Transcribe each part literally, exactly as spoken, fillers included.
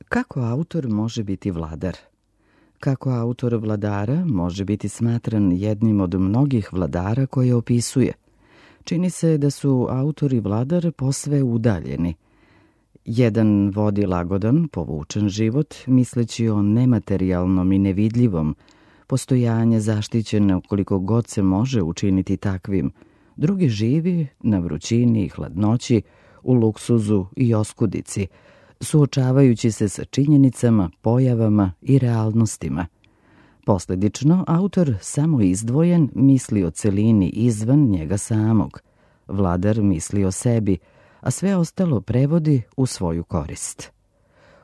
Kako autor može biti vladar? Kako autor vladara može biti smatran jednim od mnogih vladara koje opisuje? Čini se da su autor i vladar posve udaljeni. Jedan vodi lagodan, povučen život, misleći o nematerijalnom i nevidljivom, postojanje zaštićeno koliko god se može učiniti takvim. Drugi živi na vrućini i hladnoći, u luksuzu i oskudici, suočavajući se sa činjenicama, pojavama i realnostima. Posledično, autor samo izdvojen misli o celini izvan njega samog. Vladar misli o sebi, a sve ostalo prevodi u svoju korist.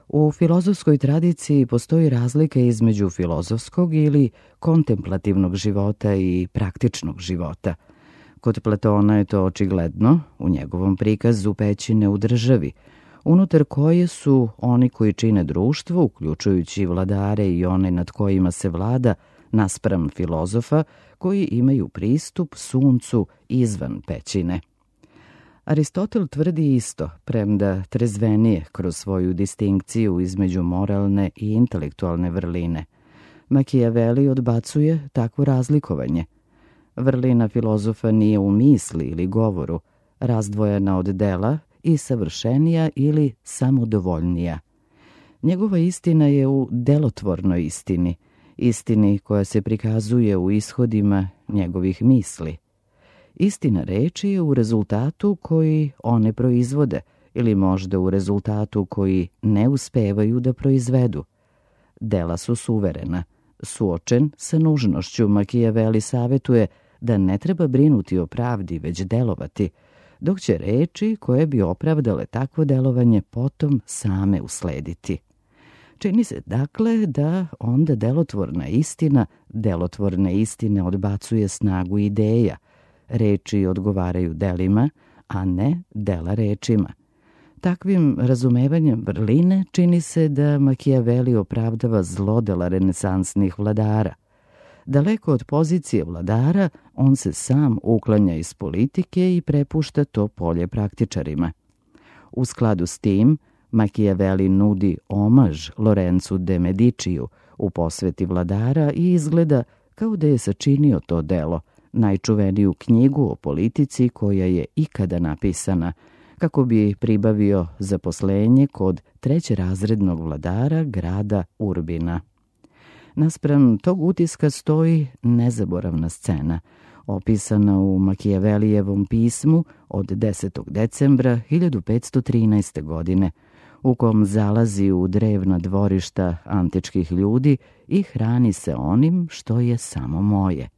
U filozofskoj tradiciji postoji razlika između filozofskog ili kontemplativnog života i praktičnog života. Kod Platona je to očigledno u njegovom prikazu pećine u državi, unutar koje su oni koji čine društvo, uključujući vladare i one nad kojima se vlada, naspram filozofa koji imaju pristup suncu izvan pećine. Aristotel tvrdi isto, premda trezvenije kroz svoju distinkciju između moralne i intelektualne vrline. Machiavelli odbacuje takvo razlikovanje. Vrlina filozofa nije u misli ili govoru, razdvojena od dela i savršenija ili samodovoljnija. Njegova istina je u delotvornoj istini, istini koja se prikazuje u ishodima njegovih misli. Istina reči je u rezultatu koji one proizvode ili možda u rezultatu koji ne uspevaju da proizvedu. Dela su suverena. Suočen sa nužnošću, Machiavelli savetuje da ne treba brinuti o pravdi, već delovati, dok će reči koje bi opravdale takvo delovanje potom same uslediti. Čini se dakle da onda delotvorna istina, delotvorne istine odbacuje snagu ideja. Reči odgovaraju delima, a ne dela rečima. Takvim razumevanjem vrline čini se da Machiavelli opravdava zlodela renesansnih vladara. Daleko od pozicije vladara, on se sam uklanja iz politike i prepušta to polje praktičarima. U skladu s tim, Machiavelli nudi omaž Lorenzu de Mediciju u posveti vladara i izgleda kao da je sačinio to delo, najčuveniju knjigu o politici koja je ikada napisana, kako bi pribavio zaposlenje kod trećerazrednog vladara grada Urbina. Naspram tog utiska stoji nezaboravna scena, opisana u Machiavellijevom pismu od desetog decembra hiljadu petsto trinaeste. godine, u kom zalazi u drevna dvorišta antičkih ljudi i hrani se onim što je samo moje.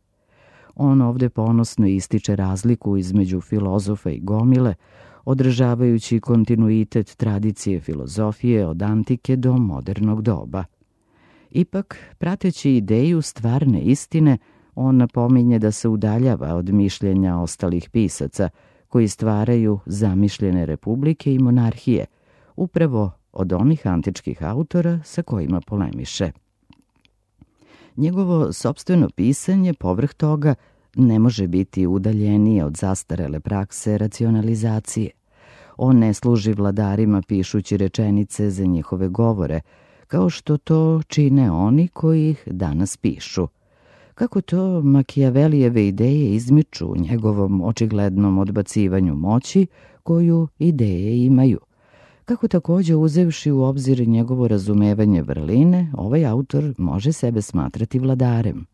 On ovde ponosno ističe razliku između filozofa i gomile, održavajući kontinuitet tradicije filozofije od antike do modernog doba. Ipak, prateći ideju stvarne istine, on napominje da se udaljava od mišljenja ostalih pisaca, koji stvaraju zamišljene republike i monarhije, upravo od onih antičkih autora sa kojima polemiše. Njegovo sopstveno pisanje, povrh toga, ne može biti udaljenije od zastarele prakse racionalizacije. On ne služi vladarima pišući rečenice za njihove govore, kao što to čine oni koji ih danas pišu. Kako to Machiavellijeve ideje izmiču u njegovom očiglednom odbacivanju moći koju ideje imaju. Kako također, uzevši u obzir njegovo razumevanje vrline, ovaj autor može sebe smatrati vladarem.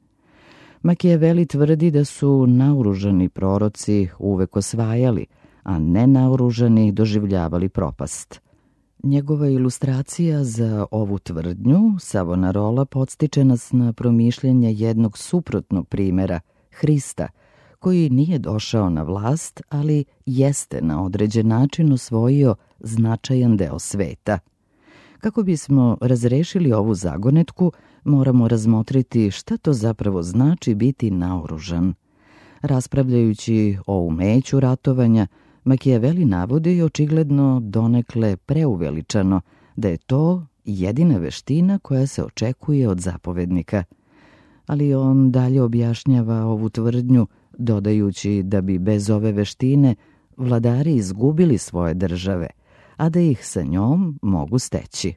Machiavelli tvrdi da su naoružani proroci uvek osvajali, a nenaoružani doživljavali propast. Njegova ilustracija za ovu tvrdnju, Savonarola, podstiče nas na promišljanje jednog suprotnog primera, Hrista, koji nije došao na vlast, ali jeste na određen način osvojio značajan deo sveta. Kako bismo razrešili ovu zagonetku, moramo razmotriti šta to zapravo znači biti naoružan. Raspravljajući o umeću ratovanja, Machiavelli navodi očigledno donekle preuveličano da je to jedina veština koja se očekuje od zapovednika. Ali on dalje objašnjava ovu tvrdnju, dodajući da bi bez ove veštine vladari izgubili svoje države, a da ih sa njom mogu steći.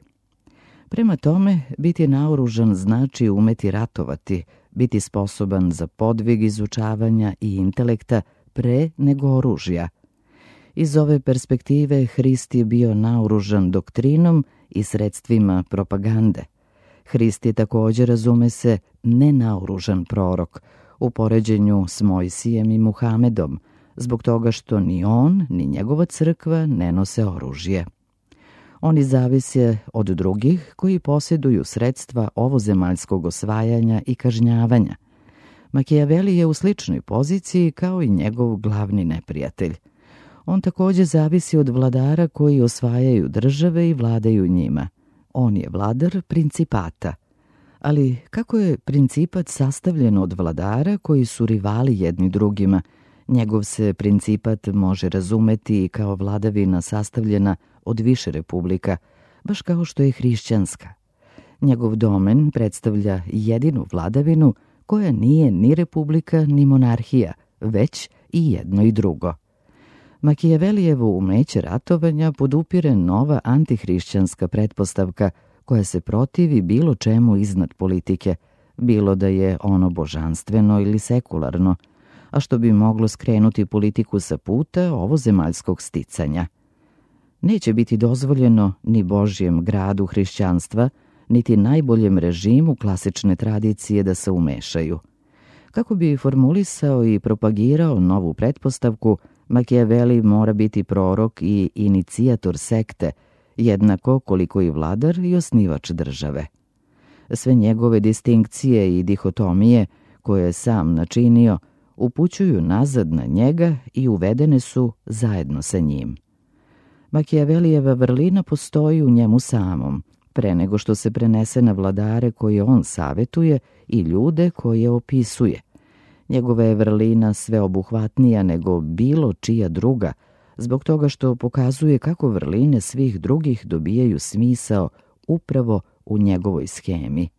Prema tome, biti naoružan znači umeti ratovati, biti sposoban za podvig izučavanja i intelekta pre nego oružja. Iz ove perspektive Hrist je bio naoružan doktrinom i sredstvima propagande. Hrist je također, razume se, nenaoružan prorok u poređenju s Mojsijem i Muhamedom, zbog toga što ni on, ni njegova crkva ne nose oružje. Oni zavise od drugih koji posjeduju sredstva ovozemaljskog osvajanja i kažnjavanja. Makijaveli je u sličnoj poziciji kao i njegov glavni neprijatelj. On također zavisi od vladara koji osvajaju države i vladaju njima. On je vladar principata. Ali kako je principat sastavljen od vladara koji su rivali jedni drugima, njegov se principat može razumeti kao vladavina sastavljena od više republika, baš kao što je hrišćanska. Njegov domen predstavlja jedinu vladavinu koja nije ni republika ni monarhija, već i jedno i drugo. Makijavelijevo umeće ratovanja podupire nova antihrišćanska pretpostavka koja se protivi bilo čemu iznad politike, bilo da je ono božanstveno ili sekularno, a što bi moglo skrenuti politiku sa puta ovozemaljskog sticanja. Neće biti dozvoljeno ni Božjem gradu hrišćanstva, niti najboljem režimu klasične tradicije da se umešaju. Kako bi formulisao i propagirao novu pretpostavku, Makijaveli mora biti prorok i inicijator sekte, jednako koliko i vladar i osnivač države. Sve njegove distinkcije i dihotomije, koje je sam načinio, upućuju nazad na njega i uvedene su zajedno sa njim. Makijavelijeva vrlina postoji u njemu samom, pre nego što se prenese na vladare koje on savetuje i ljude koje opisuje. Njegova je vrlina sveobuhvatnija nego bilo čija druga, zbog toga što pokazuje kako vrline svih drugih dobijaju smisao upravo u njegovoj schemi.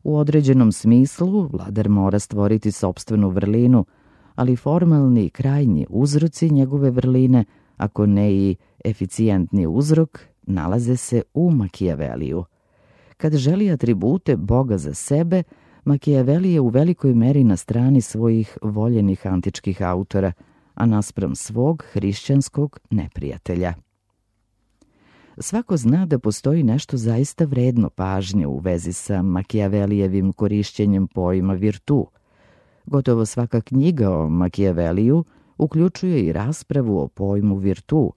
U određenom smislu vladar mora stvoriti sopstvenu vrlinu, ali formalni i krajnji uzroci njegove vrline, ako ne i eficijentni uzrok, nalaze se u Makijaveliju. Kad želi atribute Boga za sebe, Makijaveli je u velikoj meri na strani svojih voljenih antičkih autora, a naspram svog hrišćanskog neprijatelja. Svako zna da postoji nešto zaista vredno pažnje u vezi sa Makijavelijevim korišćenjem pojma virtu. Gotovo svaka knjiga o Makijaveliju uključuje i raspravu o pojmu virtu,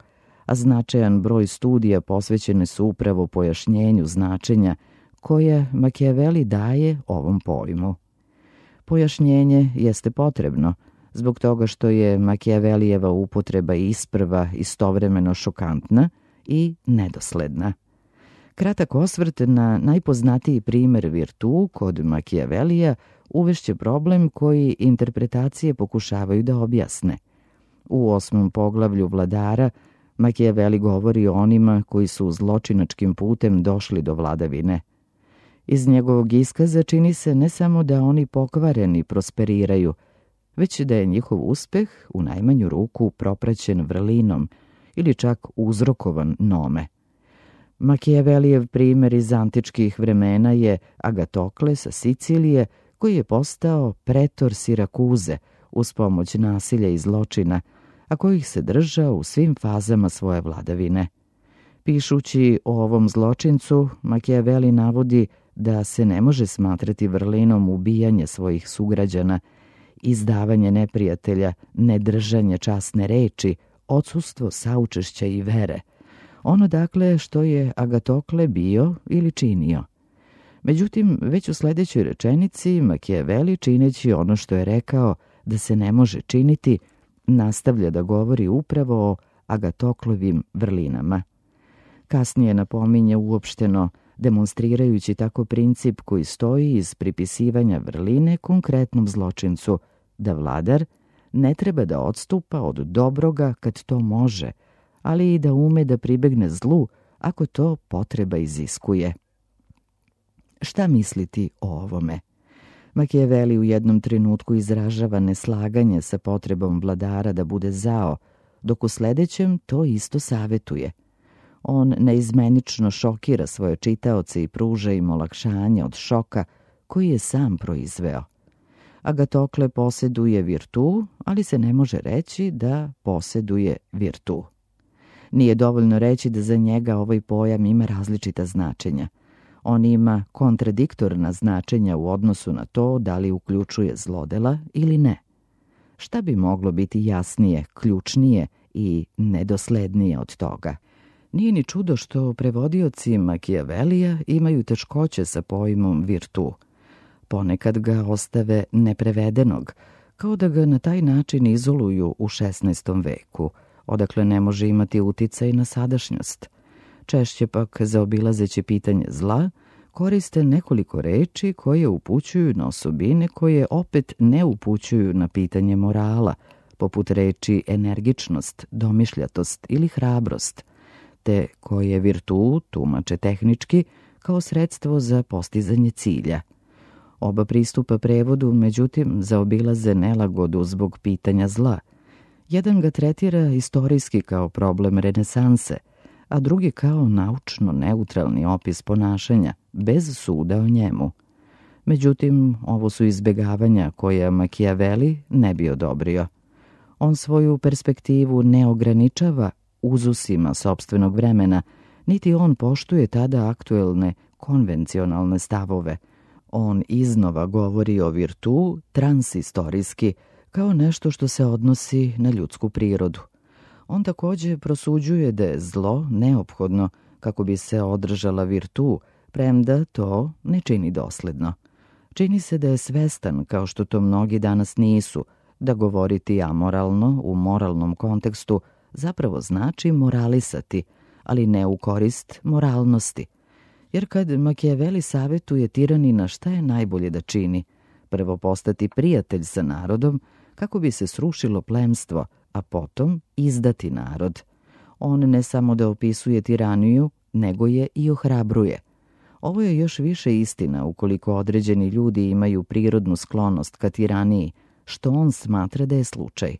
a značajan broj studija posvećene su upravo pojašnjenju značenja koje Makijaveli daje ovom pojmu. Pojašnjenje jeste potrebno, zbog toga što je Makijavelijeva upotreba isprva istovremeno šokantna i nedosledna. Kratak osvrt na najpoznatiji primer virtu kod Makijavelija uvešće problem koji interpretacije pokušavaju da objasne. U osmom poglavlju Vladara Makijaveli govori o onima koji su zločinačkim putem došli do vladavine. Iz njegovog iskaza čini se ne samo da oni pokvareni prosperiraju, već da je njihov uspeh u najmanju ruku propraćen vrlinom ili čak uzrokovan nome. Makijavelijev primer iz antičkih vremena je Agatokle sa Sicilije, koji je postao pretor Sirakuze uz pomoć nasilja i zločina, a kojih se držao u svim fazama svoje vladavine. Pišući o ovom zločincu, Makijaveli navodi da se ne može smatrati vrlinom ubijanje svojih sugrađana, izdavanje neprijatelja, nedržanje časne reči, odsustvo saučešća i vere. Ono dakle što je Agatokle bio ili činio. Međutim, već u sljedećoj rečenici Makijaveli, čineći ono što je rekao da se ne može činiti, nastavlja da govori upravo o Agatoklovim vrlinama. Kasnije napominje uopšteno, demonstrirajući tako princip koji stoji iz pripisivanja vrline konkretnom zločincu, da vladar ne treba da odstupa od dobroga kad to može, ali i da ume da pribegne zlu ako to potreba iziskuje. Šta misliti o ovome? Makijaveli u jednom trenutku izražava neslaganje sa potrebom vladara da bude zao, dok u sljedećem to isto savetuje. On neizmenično šokira svoje čitaoce i pruža im olakšanje od šoka koji je sam proizveo. Agatokle posjeduje virtu, ali se ne može reći da posjeduje virtu. Nije dovoljno reći da za njega ovaj pojam ima različita značenja. On ima kontradiktorna značenja u odnosu na to da li uključuje zlodela ili ne. Šta bi moglo biti jasnije, ključnije i nedoslednije od toga? Nije ni čudo što prevodioci Machiavellija imaju teškoće sa pojmom virtu. Ponekad ga ostave neprevedenog, kao da ga na taj način izoluju u šesnaestom veku, odakle ne može imati uticaj na sadašnjost. Češće pak, zaobilazeći pitanje zla, koriste nekoliko reči koje upućuju na osobine koje opet ne upućuju na pitanje morala, poput reči energičnost, domišljatost ili hrabrost, te koje virtu tumače tehnički kao sredstvo za postizanje cilja. Oba pristupa prevodu, međutim, zaobilaze nelagodu zbog pitanja zla. Jedan ga tretira istorijski kao problem renesanse, a drugi kao naučno neutralni opis ponašanja, bez suda o njemu. Međutim, ovo su izbjegavanja koje Machiavelli ne bi odobrio. On svoju perspektivu ne ograničava uzusima sopstvenog vremena, niti on poštuje tada aktuelne konvencionalne stavove. On iznova govori o virtu transistorijski, kao nešto što se odnosi na ljudsku prirodu. On također prosuđuje da je zlo neophodno kako bi se održala virtu, premda to ne čini dosledno. Čini se da je svestan, kao što to mnogi danas nisu, da govoriti amoralno u moralnom kontekstu zapravo znači moralisati, ali ne u korist moralnosti. Jer kad Machiavelli savjetuje tiranina šta je najbolje da čini, prvo postati prijatelj sa narodom kako bi se srušilo plemstvo, a potom izdati narod. On ne samo da opisuje tiraniju, nego je i ohrabruje. Ovo je još više istina ukoliko određeni ljudi imaju prirodnu sklonost ka tiraniji, što on smatra da je slučaj.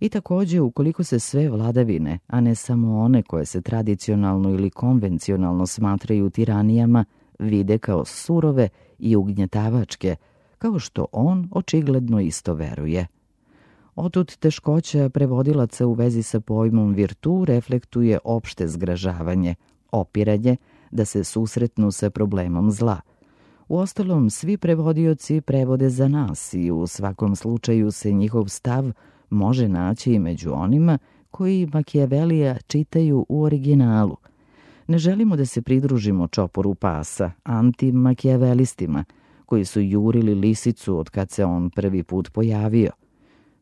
I također ukoliko se sve vladavine, a ne samo one koje se tradicionalno ili konvencionalno smatraju tiranijama, vide kao surove i ugnjetavačke, kao što on očigledno isto veruje. Otud teškoća prevodilaca u vezi sa pojmom virtu reflektuje opšte zgražavanje, opiranje da se susretnu sa problemom zla. Uostalom, svi prevodioci prevode za nas i u svakom slučaju se njihov stav može naći i među onima koji Machiavellija čitaju u originalu. Ne želimo da se pridružimo čoporu pasa, anti-machiavellistima, koji su jurili lisicu od kad se on prvi put pojavio.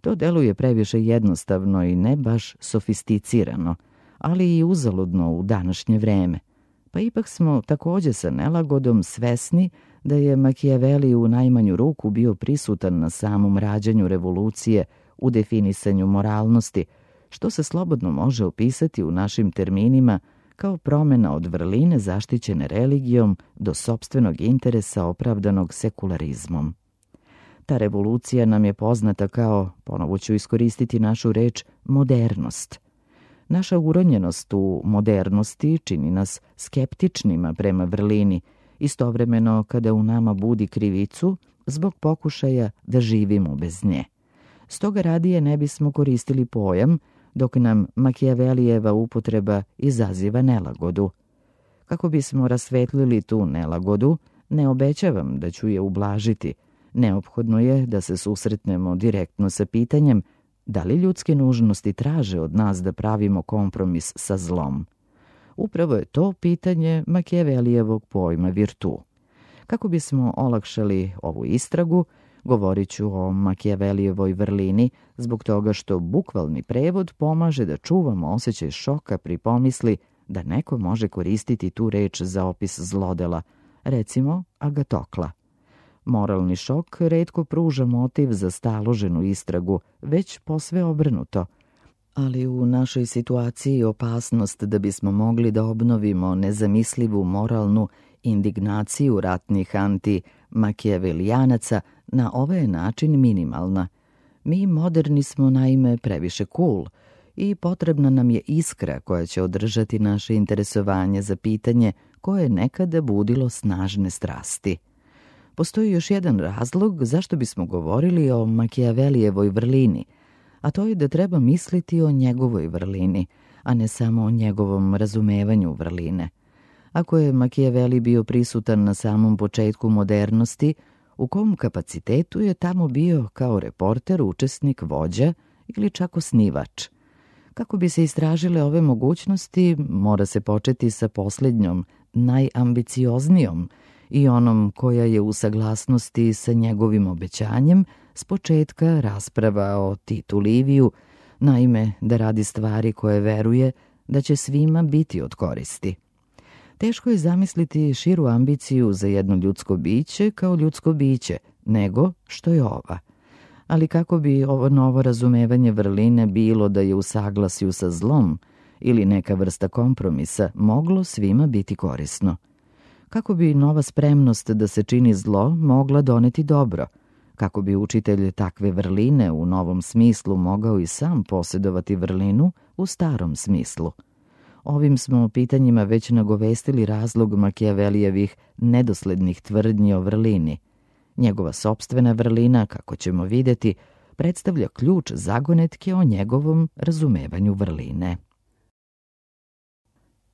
To deluje previše jednostavno i ne baš sofisticirano, ali i uzaludno u današnje vreme. Pa ipak smo također sa nelagodom svesni da je Machiavelli u najmanju ruku bio prisutan na samom rađanju revolucije u definisanju moralnosti, što se slobodno može opisati u našim terminima kao promjena od vrline zaštićene religijom do sopstvenog interesa opravdanog sekularizmom. Ta revolucija nam je poznata kao, ponovo ću iskoristiti našu reč, modernost. Naša uronjenost u modernosti čini nas skeptičnima prema vrlini, istovremeno kada u nama budi krivicu zbog pokušaja da živimo bez nje. Stoga radije ne bismo koristili pojam, dok nam Machiavellijeva upotreba izaziva nelagodu. Kako bismo rasvetlili tu nelagodu, ne obećavam da ću je ublažiti. Neophodno je da se susretnemo direktno sa pitanjem da li ljudske nužnosti traže od nas da pravimo kompromis sa zlom. Upravo je to pitanje Machiavellijevog pojma virtu. Kako bismo olakšali ovu istragu, govorit ću o Machiavellijevoj vrlini zbog toga što bukvalni prevod pomaže da čuvamo osjećaj šoka pri pomisli da neko može koristiti tu reč za opis zlodela, recimo Agatokla. Moralni šok retko pruža motiv za staloženu istragu, već posve obrnuto. Ali u našoj situaciji opasnost da bismo mogli da obnovimo nezamislivu moralnu indignaciju ratnih anti-Machiavelijanaca na ovaj način minimalna. Mi moderni smo naime previše cool i potrebna nam je iskra koja će održati naše interesovanje za pitanje koje je nekada budilo snažne strasti. Postoji još jedan razlog zašto bismo govorili o Makijavelijevoj vrlini, a to je da treba misliti o njegovoj vrlini, a ne samo o njegovom razumevanju vrline. Ako je Makijaveli bio prisutan na samom početku modernosti, u kom kapacitetu je tamo bio kao reporter, učesnik, vođa ili čak osnivač? Kako bi se istražile ove mogućnosti, mora se početi sa posljednjom, najambicioznijom i onom koja je u saglasnosti sa njegovim obećanjem s početka rasprava o Titu Liviju, naime da radi stvari koje veruje da će svima biti od koristi. Teško je zamisliti širu ambiciju za jedno ljudsko biće kao ljudsko biće, nego što je ova. Ali kako bi ovo novo razumevanje vrline bilo da je u saglasju sa zlom ili neka vrsta kompromisa moglo svima biti korisno? Kako bi nova spremnost da se čini zlo mogla doneti dobro? Kako bi učitelj takve vrline u novom smislu mogao i sam posjedovati vrlinu u starom smislu? Ovim smo pitanjima već nagovestili razlog Makijavelijevih nedoslednih tvrdnji o vrlini. Njegova sopstvena vrlina, kako ćemo vidjeti, predstavlja ključ zagonetke o njegovom razumevanju vrline.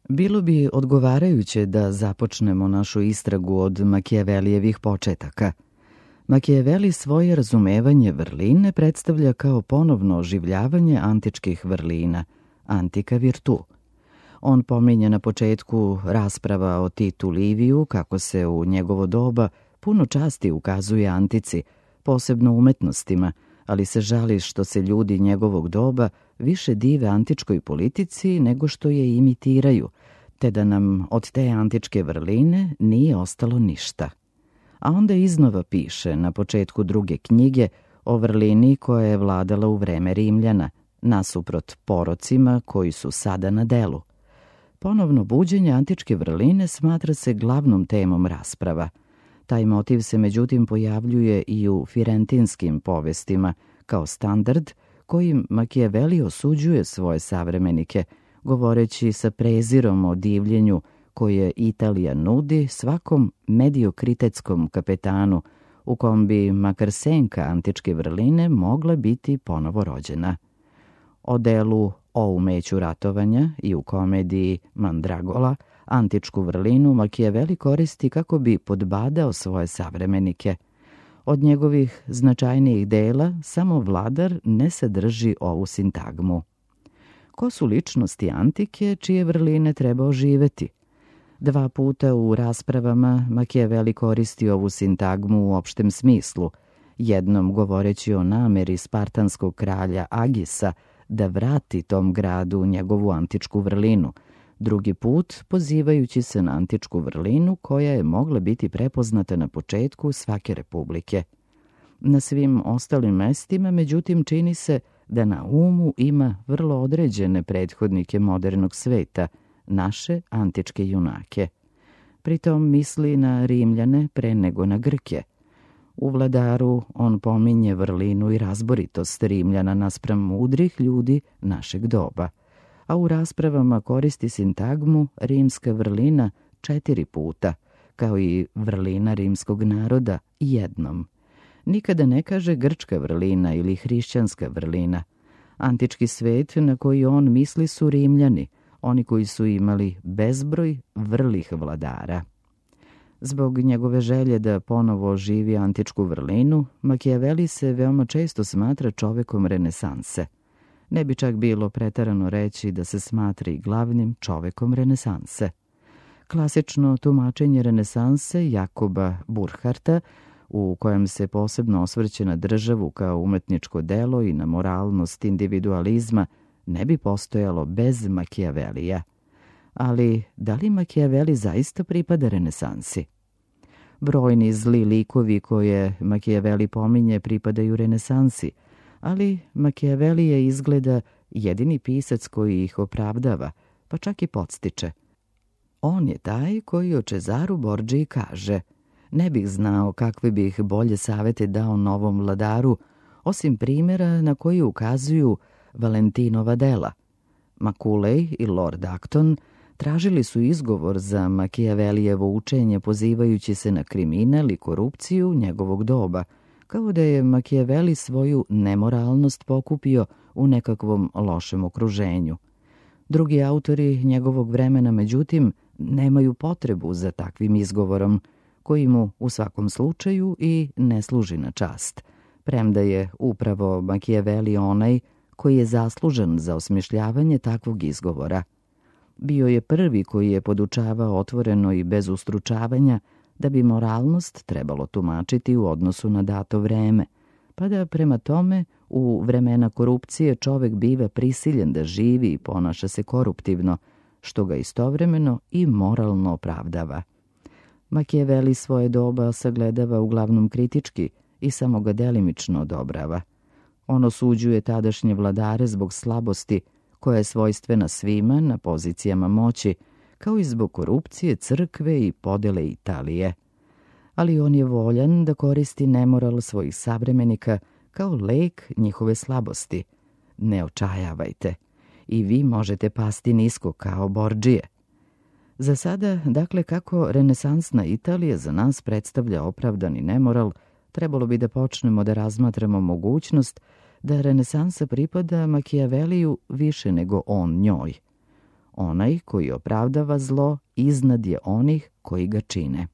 Bilo bi odgovarajuće da započnemo našu istragu od Makijavelijevih početaka. Makijaveli svoje razumevanje vrline predstavlja kao ponovno oživljavanje antičkih vrlina, antica virtu. On pominje na početku rasprava o Titu Liviju kako se u njegovo doba puno časti ukazuje antici, posebno umetnostima, ali se žali što se ljudi njegovog doba više dive antičkoj politici nego što je imitiraju, te da nam od te antičke vrline nije ostalo ništa. A onda iznova piše na početku druge knjige o vrlini koja je vladala u vreme Rimljana, nasuprot porocima koji su sada na delu. Ponovno buđenje antičke vrline smatra se glavnom temom rasprava. Taj motiv se međutim pojavljuje i u firentinskim povestima kao standard kojim Makijaveli osuđuje svoje savremenike, govoreći sa prezirom o divljenju koje Italija nudi svakom mediokritetskom kapetanu, u kom bi makar senka antičke vrline mogla biti ponovo rođena. O delu O umeću ratovanja i u komediji Mandragola antičku vrlinu Makijaveli koristi kako bi podbadao svoje savremenike. Od njegovih značajnijih dela samo Vladar ne sadrži ovu sintagmu. Ko su ličnosti antike čije vrline treba oživeti? Dva puta u raspravama Makijaveli koristi ovu sintagmu u opštem smislu, jednom govoreći o nameri spartanskog kralja Agisa da vrati tom gradu njegovu antičku vrlinu, drugi put pozivajući se na antičku vrlinu koja je mogla biti prepoznata na početku svake republike. Na svim ostalim mestima, međutim, čini se da na umu ima vrlo određene prethodnike modernog sveta, naše antičke junake. Pritom misli na Rimljane pre nego na Grke. U Vladaru on pominje vrlinu i razboritost Rimljana naspram mudrih ljudi našeg doba, a u raspravama koristi sintagmu rimska vrlina četiri puta, kao i vrlina rimskog naroda jednom. Nikada ne kaže grčka vrlina ili hrišćanska vrlina. Antički svet na koji on misli su Rimljani, oni koji su imali bezbroj vrlih vladara. Zbog njegove želje da ponovo oživi antičku vrlinu, Makijaveli se veoma često smatra čovekom renesanse. Ne bi čak bilo preterano reći da se smatra i glavnim čovekom renesanse. Klasično tumačenje renesanse Jakoba Burkharta, u kojem se posebno osvrće na državu kao umetničko delo i na moralnost individualizma, ne bi postojalo bez Makijavelija. Ali da li Makijaveli zaista pripada renesansi? Brojni zli likovi koje Makijaveli pominje pripadaju renesansi, ali Makijaveli je izgleda jedini pisac koji ih opravdava, pa čak i podstiče. On je taj koji o Cezaru Borđiji kaže: ne bih znao kakve bih bolje savete dao novom vladaru, osim primjera na koji ukazuju Valentinova dela, Macaulay i Lord Acton tražili su izgovor za Makijavelijevo učenje pozivajući se na kriminal i korupciju njegovog doba, kao da je Makijaveli svoju nemoralnost pokupio u nekakvom lošem okruženju. Drugi autori njegovog vremena, međutim, nemaju potrebu za takvim izgovorom, koji mu u svakom slučaju i ne služi na čast, premda je upravo Makijaveli onaj koji je zaslužan za osmišljavanje takvog izgovora. Bio je prvi koji je podučavao otvoreno i bez ustručavanja da bi moralnost trebalo tumačiti u odnosu na dato vreme, pa da prema tome u vremena korupcije čovek biva prisiljen da živi i ponaša se koruptivno, što ga istovremeno i moralno opravdava. Makijaveli svoje doba sagledava uglavnom kritički i samo ga delimično odobrava. On osuđuje tadašnje vladare zbog slabosti koja je svojstvena svima na pozicijama moći, kao i zbog korupcije crkve i podele Italije. Ali on je voljan da koristi nemoral svojih savremenika kao lek njihove slabosti. Ne očajavajte. I vi možete pasti nisko kao Borđije. Za sada, dakle, kako renesansna Italija za nas predstavlja opravdani nemoral, trebalo bi da počnemo da razmatramo mogućnost da renesansa pripada Makijaveliju više nego on njoj. Onaj koji opravdava zlo iznad je onih koji ga čine.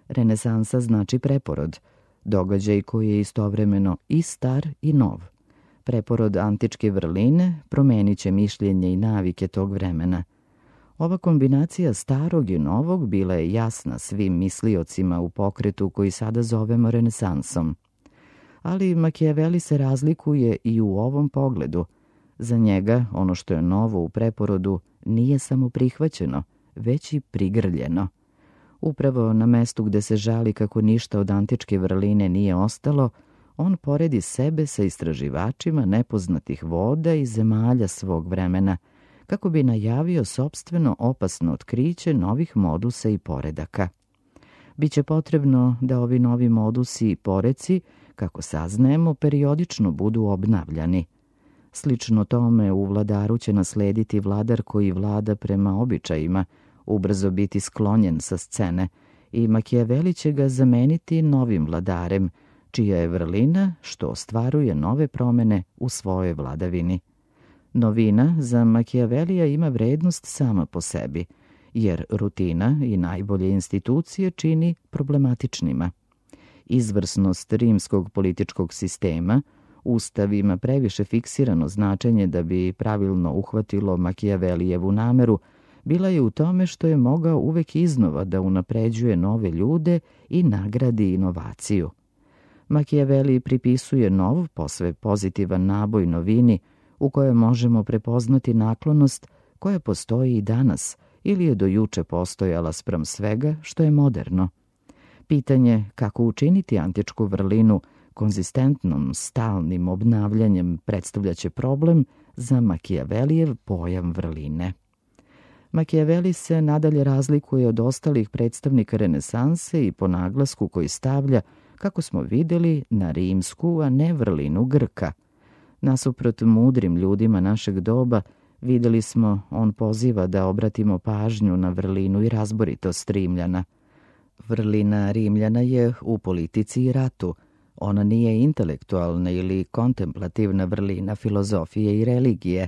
Renesansa znači preporod, događaj koji je istovremeno i star i nov. Preporod antičke vrline promenit će mišljenje i navike tog vremena. Ova kombinacija starog i novog bila je jasna svim misliocima u pokretu koji sada zovemo renesansom. Ali Makijaveli se razlikuje i u ovom pogledu. Za njega ono što je novo u preporodu nije samo prihvaćeno, već i prigrljeno. Upravo na mestu gde se žali kako ništa od antičke vrline nije ostalo, on poredi sebe sa istraživačima nepoznatih voda i zemalja svog vremena, kako bi najavio sopstveno opasno otkriće novih modusa i poredaka. Biće potrebno da ovi novi modusi i poreci, kako saznajemo, periodično budu obnavljani. Slično tome u vladaru će naslediti vladar koji vlada prema običajima, ubrzo biti sklonjen sa scene i Makijaveli će ga zameniti novim vladarem, čija je vrlina što ostvaruje nove promene u svojoj vladavini. Novina za Makijavelija ima vrednost sama po sebi, jer rutina i najbolje institucije čini problematičnima. Izvrsnost rimskog političkog sistema, Ustav ima previše fiksirano značenje da bi pravilno uhvatilo Makijavelijevu nameru, bila je u tome što je mogao uvek iznova da unapređuje nove ljude i nagradi inovaciju. Makijaveli pripisuje nov, posve pozitivan naboj novini, u kojoj možemo prepoznati naklonost koja postoji i danas ili je do juče postojala spram svega što je moderno. Pitanje kako učiniti antičku vrlinu konzistentnom, stalnim obnavljanjem predstavljaće problem za Makijavelijev pojam vrline. Makijaveli se nadalje razlikuje od ostalih predstavnika renesanse i po naglasku koji stavlja, kako smo videli, na rimsku, a ne vrlinu Grka. Nasuprot mudrim ljudima našeg doba, videli smo, on poziva da obratimo pažnju na vrlinu i razboritost Rimljana. Vrlina Rimljana je u politici i ratu. Ona nije intelektualna ili kontemplativna vrlina filozofije i religije.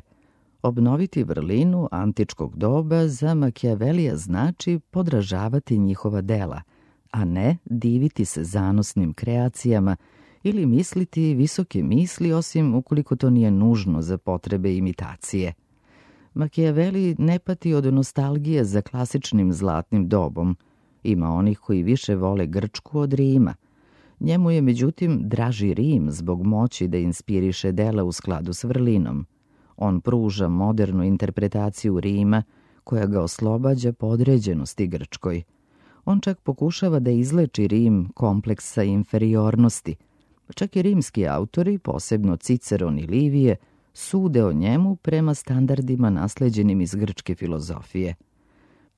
Obnoviti vrlinu antičkog doba za Makijavelija znači podražavati njihova dela, a ne diviti se zanosnim kreacijama ili misliti visoke misli, osim ukoliko to nije nužno za potrebe imitacije. Makijaveli ne pati od nostalgije za klasičnim zlatnim dobom. Ima onih koji više vole Grčku od Rima. Njemu je međutim draži Rim zbog moći da inspiriše dela u skladu s vrlinom. On pruža modernu interpretaciju Rima koja ga oslobađa podređenosti Grčkoj. On čak pokušava da izleči Rim kompleksa inferiornosti. Čak i rimski autori, posebno Ciceron i Livije, sude o njemu prema standardima nasleđenim iz grčke filozofije.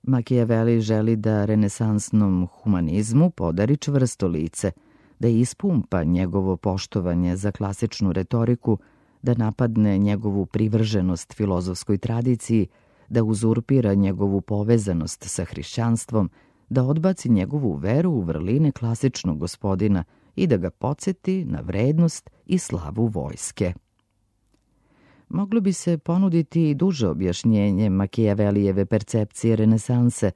Makijaveli želi da renesansnom humanizmu podari čvrsto lice, da ispumpa njegovo poštovanje za klasičnu retoriku, da napadne njegovu privrženost filozofskoj tradiciji, da uzurpira njegovu povezanost sa hrišćanstvom, da odbaci njegovu veru u vrline klasičnog gospodina i da ga podsjeti na vrednost i slavu vojske. Moglo bi se ponuditi i duže objašnjenje Makijavelijeve percepcije renesanse,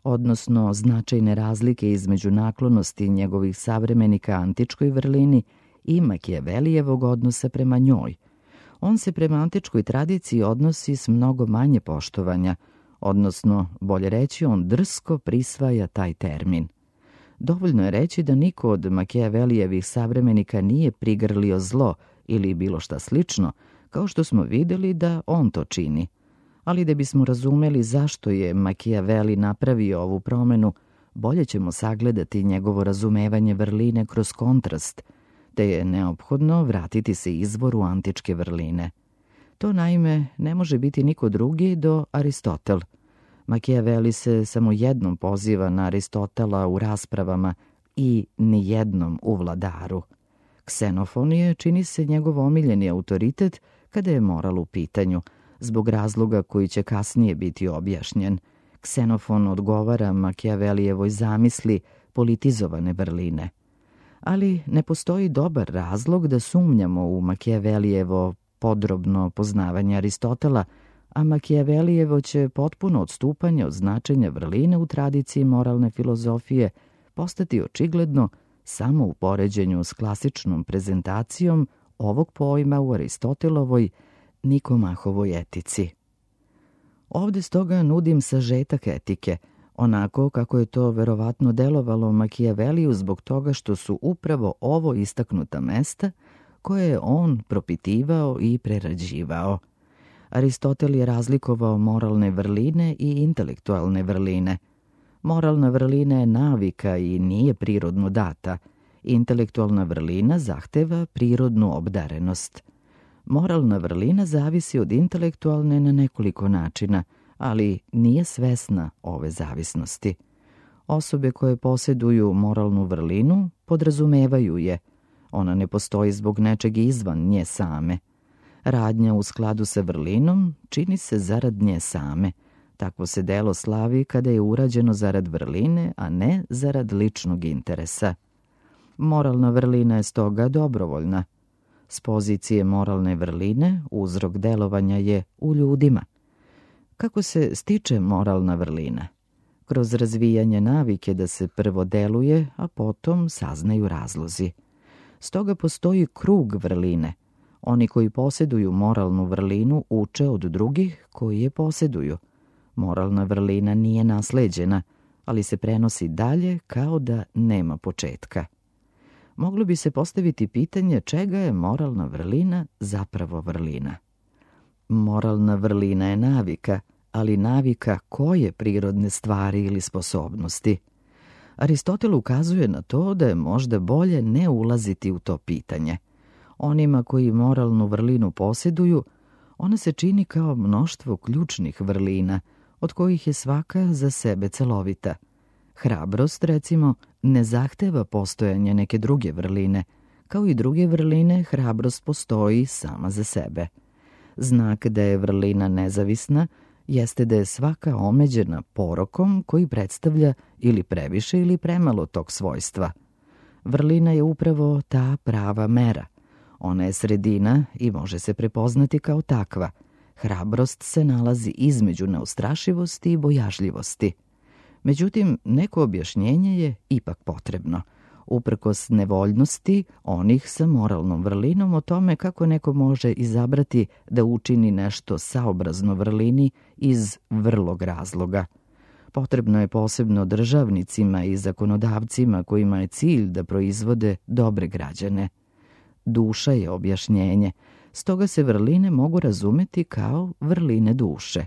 odnosno značajne razlike između naklonosti njegovih savremenika antičkoj vrlini i Makijavelijevog odnosa prema njoj. On se prema antičkoj tradiciji odnosi s mnogo manje poštovanja, odnosno, bolje reći, on drsko prisvaja taj termin. Dovoljno je reći da niko od Makijavelijevih savremenika nije prigrlio zlo ili bilo šta slično, kao što smo vidjeli da on to čini. Ali da bismo razumeli zašto je Makijaveli napravio ovu promenu, bolje ćemo sagledati njegovo razumevanje vrline kroz kontrast, te je neophodno vratiti se izvoru antičke vrline. To naime ne može biti niko drugi do Aristotel. Makijaveli se samo jednom poziva na Aristotela u raspravama i ni jednom u Vladaru. Ksenofon je, čini se, njegov omiljeni autoritet kada je moral u pitanju, zbog razloga koji će kasnije biti objašnjen. Ksenofon odgovara Makijavelijevoj zamisli politizovane vrline. Ali ne postoji dobar razlog da sumnjamo u Makijavelijevo podrobno poznavanje Aristotela, a Makijavelijevo će potpuno odstupanje od značenja vrline u tradiciji moralne filozofije postati očigledno samo u poređenju s klasičnom prezentacijom ovog pojma u Aristotelovoj Nikomahovoj etici. Ovde stoga nudim sažetak etike, onako kako je to verovatno delovalo Makijaveliju zbog toga što su upravo ovo istaknuta mesta koje je on propitivao i prerađivao. Aristotel je razlikovao moralne vrline i intelektualne vrline. Moralna vrlina je navika i nije prirodno data. Intelektualna vrlina zahteva prirodnu obdarenost. Moralna vrlina zavisi od intelektualne na nekoliko načina, ali nije svesna ove zavisnosti. Osobe koje posjeduju moralnu vrlinu podrazumevaju je. Ona ne postoji zbog nečeg izvan nje same. Radnja u skladu sa vrlinom čini se zarad nje same. Takvo se delo slavi kada je urađeno zarad vrline, a ne zarad ličnog interesa. Moralna vrlina je stoga dobrovoljna. S pozicije moralne vrline uzrok delovanja je u ljudima. Kako se stiče moralna vrlina? Kroz razvijanje navike da se prvo deluje, a potom saznaju razlozi. Stoga postoji krug vrline. Oni koji posjeduju moralnu vrlinu uče od drugih koji je posjeduju. Moralna vrlina nije nasleđena, ali se prenosi dalje kao da nema početka. Moglo bi se postaviti pitanje čega je moralna vrlina zapravo vrlina. Moralna vrlina je navika, ali navika koje prirodne stvari ili sposobnosti? Aristotel ukazuje na to da je možda bolje ne ulaziti u to pitanje. Onima koji moralnu vrlinu posjeduju, ona se čini kao mnoštvo ključnih vrlina, od kojih je svaka za sebe celovita. Hrabrost, recimo, ne zahteva postojanje neke druge vrline. Kao i druge vrline, hrabrost postoji sama za sebe. Znak da je vrlina nezavisna jeste da je svaka omeđena porokom koji predstavlja ili previše ili premalo tog svojstva. Vrlina je upravo ta prava mera. Ona je sredina i može se prepoznati kao takva. Hrabrost se nalazi između neustrašivosti i bojažljivosti. Međutim, neko objašnjenje je ipak potrebno. Uprkos nevoljnosti onih sa moralnom vrlinom o tome kako neko može izabrati da učini nešto saobrazno vrlini iz vrlog razloga. Potrebno je posebno državnicima i zakonodavcima kojima je cilj da proizvode dobre građane. Duša je objašnjenje, stoga se vrline mogu razumeti kao vrline duše.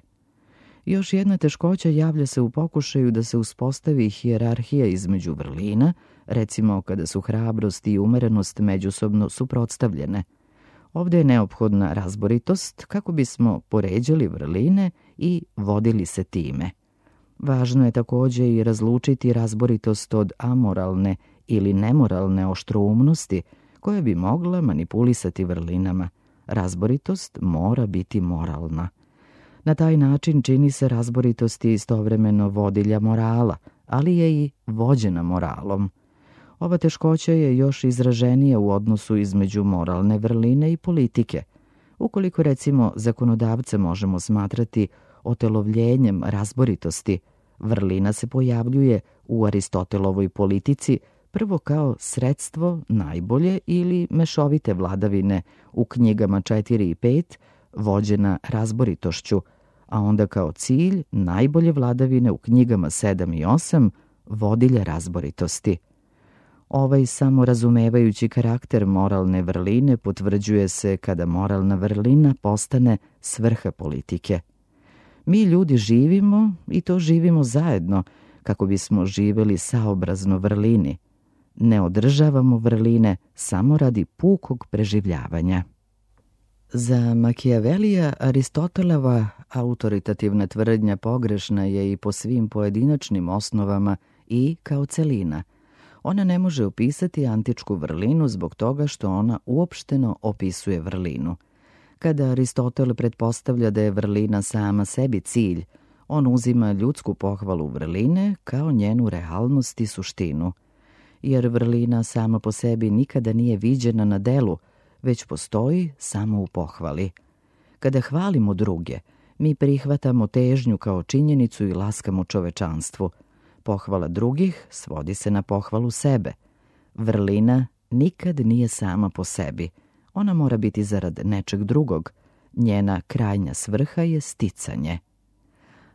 Još jedna teškoća javlja se u pokušaju da se uspostavi hijerarhija između vrlina, recimo kada su hrabrost i umerenost međusobno suprotstavljene. Ovdje je neophodna razboritost kako bismo poređali vrline i vodili se time. Važno je također i razlučiti razboritost od amoralne ili nemoralne oštroumnosti koja bi mogla manipulisati vrlinama, Razboritost mora biti moralna. Na taj način čini se razboritosti istovremeno vodilja morala, ali je i vođena moralom. Ova teškoća je još izraženija u odnosu između moralne vrline i politike. Ukoliko recimo zakonodavce možemo smatrati otelovljenjem razboritosti, vrlina se pojavljuje u Aristotelovoj politici prvo kao sredstvo najbolje ili mešovite vladavine u knjigama četiri i pet, vođena razboritošću, a onda kao cilj najbolje vladavine u knjigama sedam i osam, vodilja razboritosti. Ovaj samorazumevajući karakter moralne vrline potvrđuje se kada moralna vrlina postane svrha politike. Mi ljudi živimo i to živimo zajedno kako bismo živeli saobrazno vrlini. Ne održavamo vrline samo radi pukog preživljavanja. Za Machiavellija Aristotelova autoritativna tvrdnja pogrešna je i po svim pojedinačnim osnovama i kao celina. Ona ne može opisati antičku vrlinu zbog toga što ona uopšteno opisuje vrlinu. Kada Aristotel pretpostavlja da je vrlina sama sebi cilj, on uzima ljudsku pohvalu vrline kao njenu realnost i suštinu. Jer vrlina sama po sebi nikada nije viđena na delu, već postoji samo u pohvali. Kada hvalimo druge, mi prihvatamo težnju kao činjenicu i laskamo čovečanstvu. Pohvala drugih svodi se na pohvalu sebe. Vrlina nikad nije sama po sebi. Ona mora biti zarad nečeg drugog. Njena krajnja svrha je sticanje.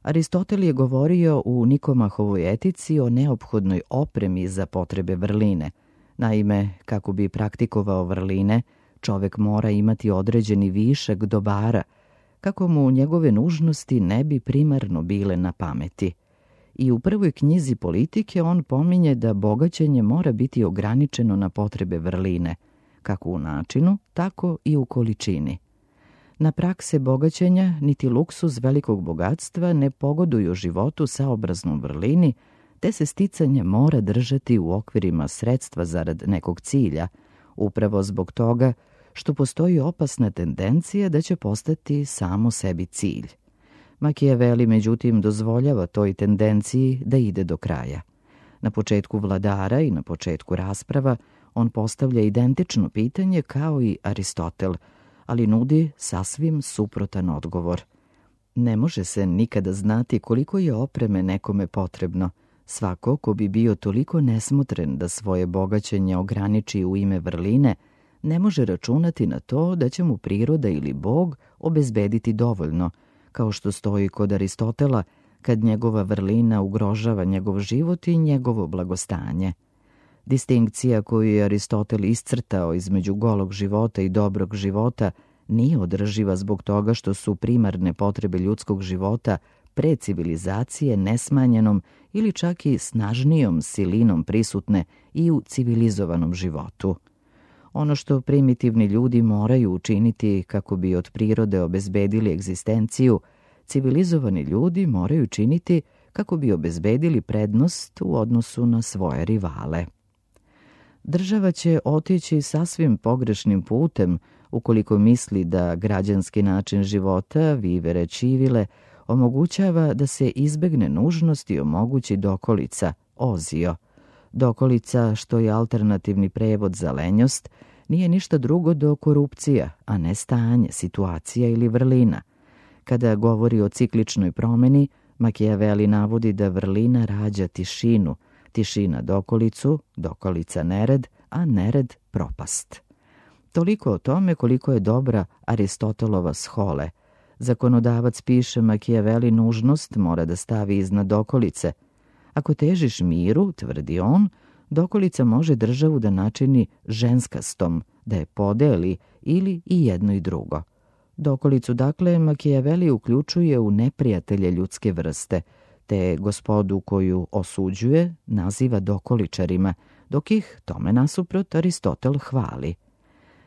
Aristotel je govorio u Nikomahovoj etici o neophodnoj opremi za potrebe vrline. Naime, kako bi praktikovao vrline, čovek mora imati određeni višak dobara, kako mu njegove nužnosti ne bi primarno bile na pameti. I u prvoj knjizi Politike on pominje da bogaćenje mora biti ograničeno na potrebe vrline, kako u načinu, tako i u količini. Na prakse bogaćenja niti luksuz velikog bogatstva ne pogoduju životu saobraznom vrlini, te se sticanje mora držati u okvirima sredstva zarad nekog cilja, upravo zbog toga što postoji opasna tendencija da će postati samo sebi cilj. Machiavelli, međutim, dozvoljava toj tendenciji da ide do kraja. Na početku Vladara i na početku rasprava on postavlja identično pitanje kao i Aristotel, ali nudi sasvim suprotan odgovor. Ne može se nikada znati koliko je opreme nekome potrebno. Svako ko bi bio toliko nesmotren da svoje bogaćenje ograniči u ime vrline, ne može računati na to da će mu priroda ili Bog obezbediti dovoljno, kao što stoji kod Aristotela kad njegova vrlina ugrožava njegov život i njegovo blagostanje. Distinkcija koju je Aristotel iscrtao između golog života i dobrog života nije održiva zbog toga što su primarne potrebe ljudskog života pre civilizacije nesmanjenom ili čak i snažnijom silinom prisutne i u civilizovanom životu. Ono što primitivni ljudi moraju učiniti kako bi od prirode obezbedili egzistenciju, civilizovani ljudi moraju činiti kako bi obezbedili prednost u odnosu na svoje rivale. Država će otići sasvim pogrešnim putem ukoliko misli da građanski način života, vivere civile, omogućava da se izbegne nužnost i omogući dokolica, ozio. Dokolica, što je alternativni prevod za lenjost, nije ništa drugo do korupcija, a ne stanje, situacija ili vrlina. Kada govori o cikličnoj promeni, Machiavelli navodi da vrlina rađa tišinu, tišina dokolicu, dokolica nered, a nered propast. Toliko o tome koliko je dobra Aristotelova shole. Zakonodavac piše Machiavelli nužnost mora da stavi iznad dokolice. Ako težiš miru, tvrdi on, dokolica može državu da načini ženskastom, da je podeli ili i jedno i drugo. Dokolicu, dakle, Machiavelli uključuje u neprijatelje ljudske vrste, te gospodu koju osuđuje naziva dokoličarima, dok ih, tome nasuprot, Aristotel hvali.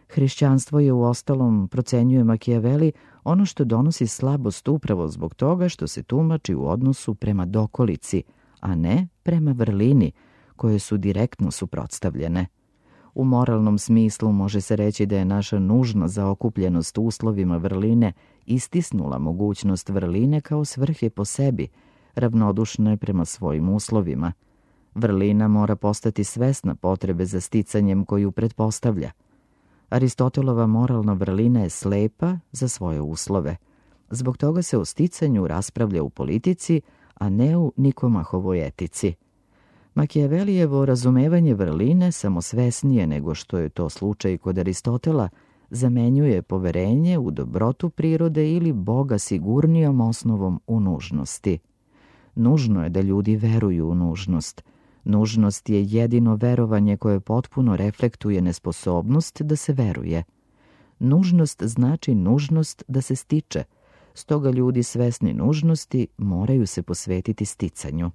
Hrišćanstvo je u ostalom, procenjuje Machiavelli, ono što donosi slabost upravo zbog toga što se tumači u odnosu prema dokolici, a ne prema vrlini, koje su direktno suprotstavljene. U moralnom smislu može se reći da je naša nužna zaokupljenost uslovima vrline istisnula mogućnost vrline kao svrhe po sebi, ravnodušne prema svojim uslovima. Vrlina mora postati svesna potrebe za sticanjem koju pretpostavlja. Aristotelova moralna vrlina je slepa za svoje uslove. Zbog toga se o sticanju raspravlja u politici, a ne u Nikomahovoj etici. Makijavelijevo razumevanje vrline, samosvesnije nego što je to slučaj kod Aristotela, zamenjuje poverenje u dobrotu prirode ili Boga sigurnijom osnovom u nužnosti. Nužno je da ljudi veruju u nužnost. Nužnost je jedino verovanje koje potpuno reflektuje nesposobnost da se veruje. Nužnost znači nužnost da se stiče, stoga ljudi svesni nužnosti moraju se posvetiti sticanju.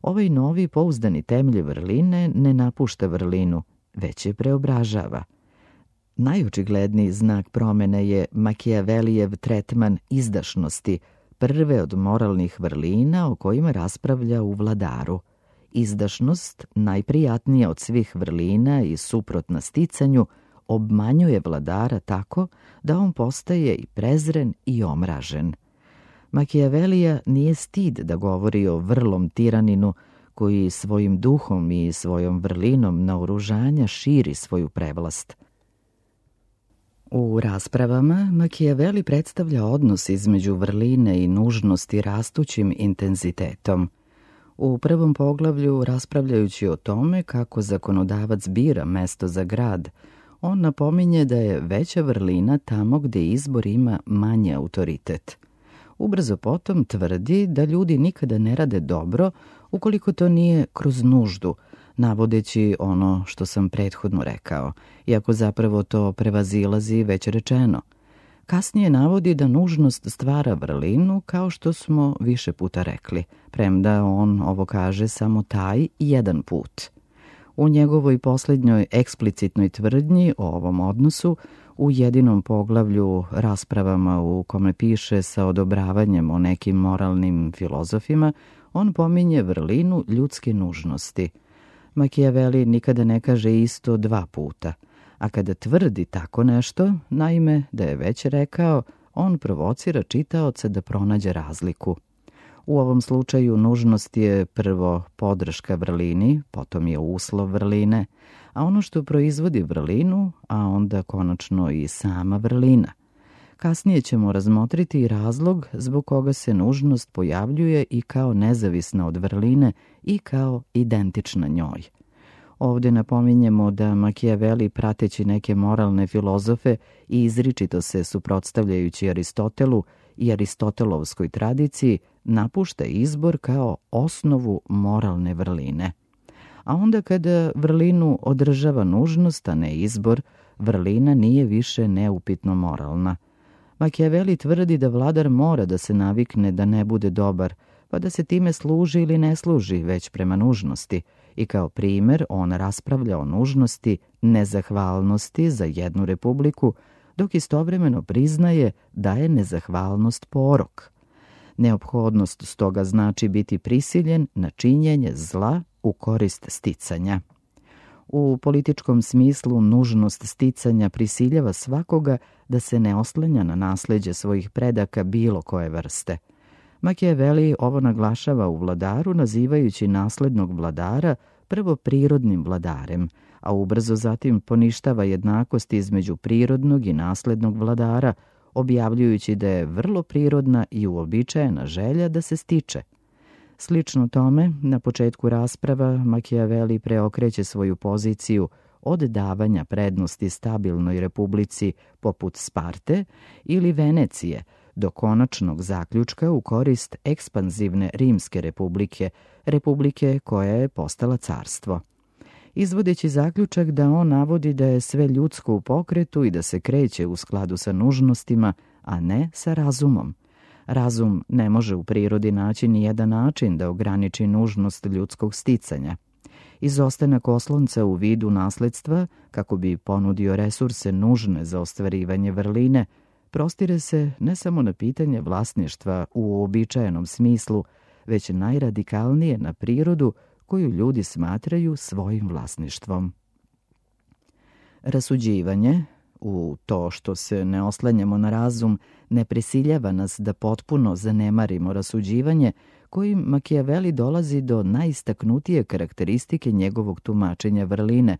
Ovaj novi pouzdani temelj vrline ne napušta vrlinu, već je preobražava. Najočigledniji znak promene je Makijavelijev tretman izdašnosti, prve od moralnih vrlina o kojima raspravlja u Vladaru. Izdašnost, najprijatnija od svih vrlina i suprotna sticanju, obmanjuje vladara tako da on postaje i prezren i omražen. Makijavelija nije stid da govori o vrlom tiraninu koji svojim duhom i svojom vrlinom naoružanja širi svoju prevlast. U raspravama Makijaveli predstavlja odnos između vrline i nužnosti rastućim intenzitetom. U prvom poglavlju, raspravljajući o tome kako zakonodavac bira mesto za grad, on napominje da je veća vrlina tamo gde izbor ima manji autoritet. Ubrzo potom tvrdi da ljudi nikada ne rade dobro ukoliko to nije kroz nuždu, navodeći ono što sam prethodno rekao, iako zapravo to prevazilazi već rečeno. Kasnije navodi da nužnost stvara vrlinu, kao što smo više puta rekli, premda on ovo kaže samo taj jedan put. U njegovoj posljednjoj eksplicitnoj tvrdnji o ovom odnosu, u jedinom poglavlju raspravama u kome piše sa odobravanjem o nekim moralnim filozofima, on pominje vrlinu ljudske nužnosti. Makijaveli nikada ne kaže isto dva puta, a kada tvrdi tako nešto, naime da je već rekao, on provocira čitaoca da pronađe razliku. U ovom slučaju nužnost je prvo podrška vrlini, potom je uslov vrline, a ono što proizvodi vrlinu, a onda konačno i sama vrlina. Kasnije ćemo razmotriti i razlog zbog koga se nužnost pojavljuje i kao nezavisna od vrline i kao identična njoj. Ovdje napominjemo da Makijaveli, prateći neke moralne filozofe i izričito se suprotstavljajući Aristotelu i aristotelovskoj tradiciji, napušta izbor kao osnovu moralne vrline. A onda kada vrlinu održava nužnost, a ne izbor, vrlina nije više neupitno moralna. Makijaveli tvrdi da vladar mora da se navikne da ne bude dobar, pa da se time služi ili ne služi već prema nužnosti, i kao primjer on raspravlja o nužnosti nezahvalnosti za jednu republiku, dok istovremeno priznaje da je nezahvalnost porok. Neophodnost stoga znači biti prisiljen na činjenje zla u korist sticanja. U političkom smislu nužnost sticanja prisiljava svakoga da se ne oslanja na nasleđe svojih predaka bilo koje vrste. Makijaveli ovo naglašava u Vladaru, nazivajući naslednog vladara prvo prirodnim vladarem, a ubrzo zatim poništava jednakost između prirodnog i naslednog vladara, objavljujući da je vrlo prirodna i uobičajena želja da se stiče. Slično tome, na početku rasprava Makijaveli preokreće svoju poziciju od davanja prednosti stabilnoj republici poput Sparte ili Venecije, do konačnog zaključka u korist ekspanzivne Rimske republike, republike koja je postala carstvo. Izvodeći zaključak da on navodi da je sve ljudsko u pokretu i da se kreće u skladu sa nužnostima, a ne sa razumom. Razum ne može u prirodi naći ni jedan način da ograniči nužnost ljudskog sticanja. Izostanak oslonca u vidu nasledstva, kako bi ponudio resurse nužne za ostvarivanje vrline, prostire se ne samo na pitanje vlasništva u uobičajenom smislu, već najradikalnije na prirodu koju ljudi smatraju svojim vlasništvom. Rasuđivanje, u to što se ne oslanjamo na razum, ne prisiljava nas da potpuno zanemarimo rasuđivanje, kojim Makijaveli dolazi do najistaknutije karakteristike njegovog tumačenja vrline,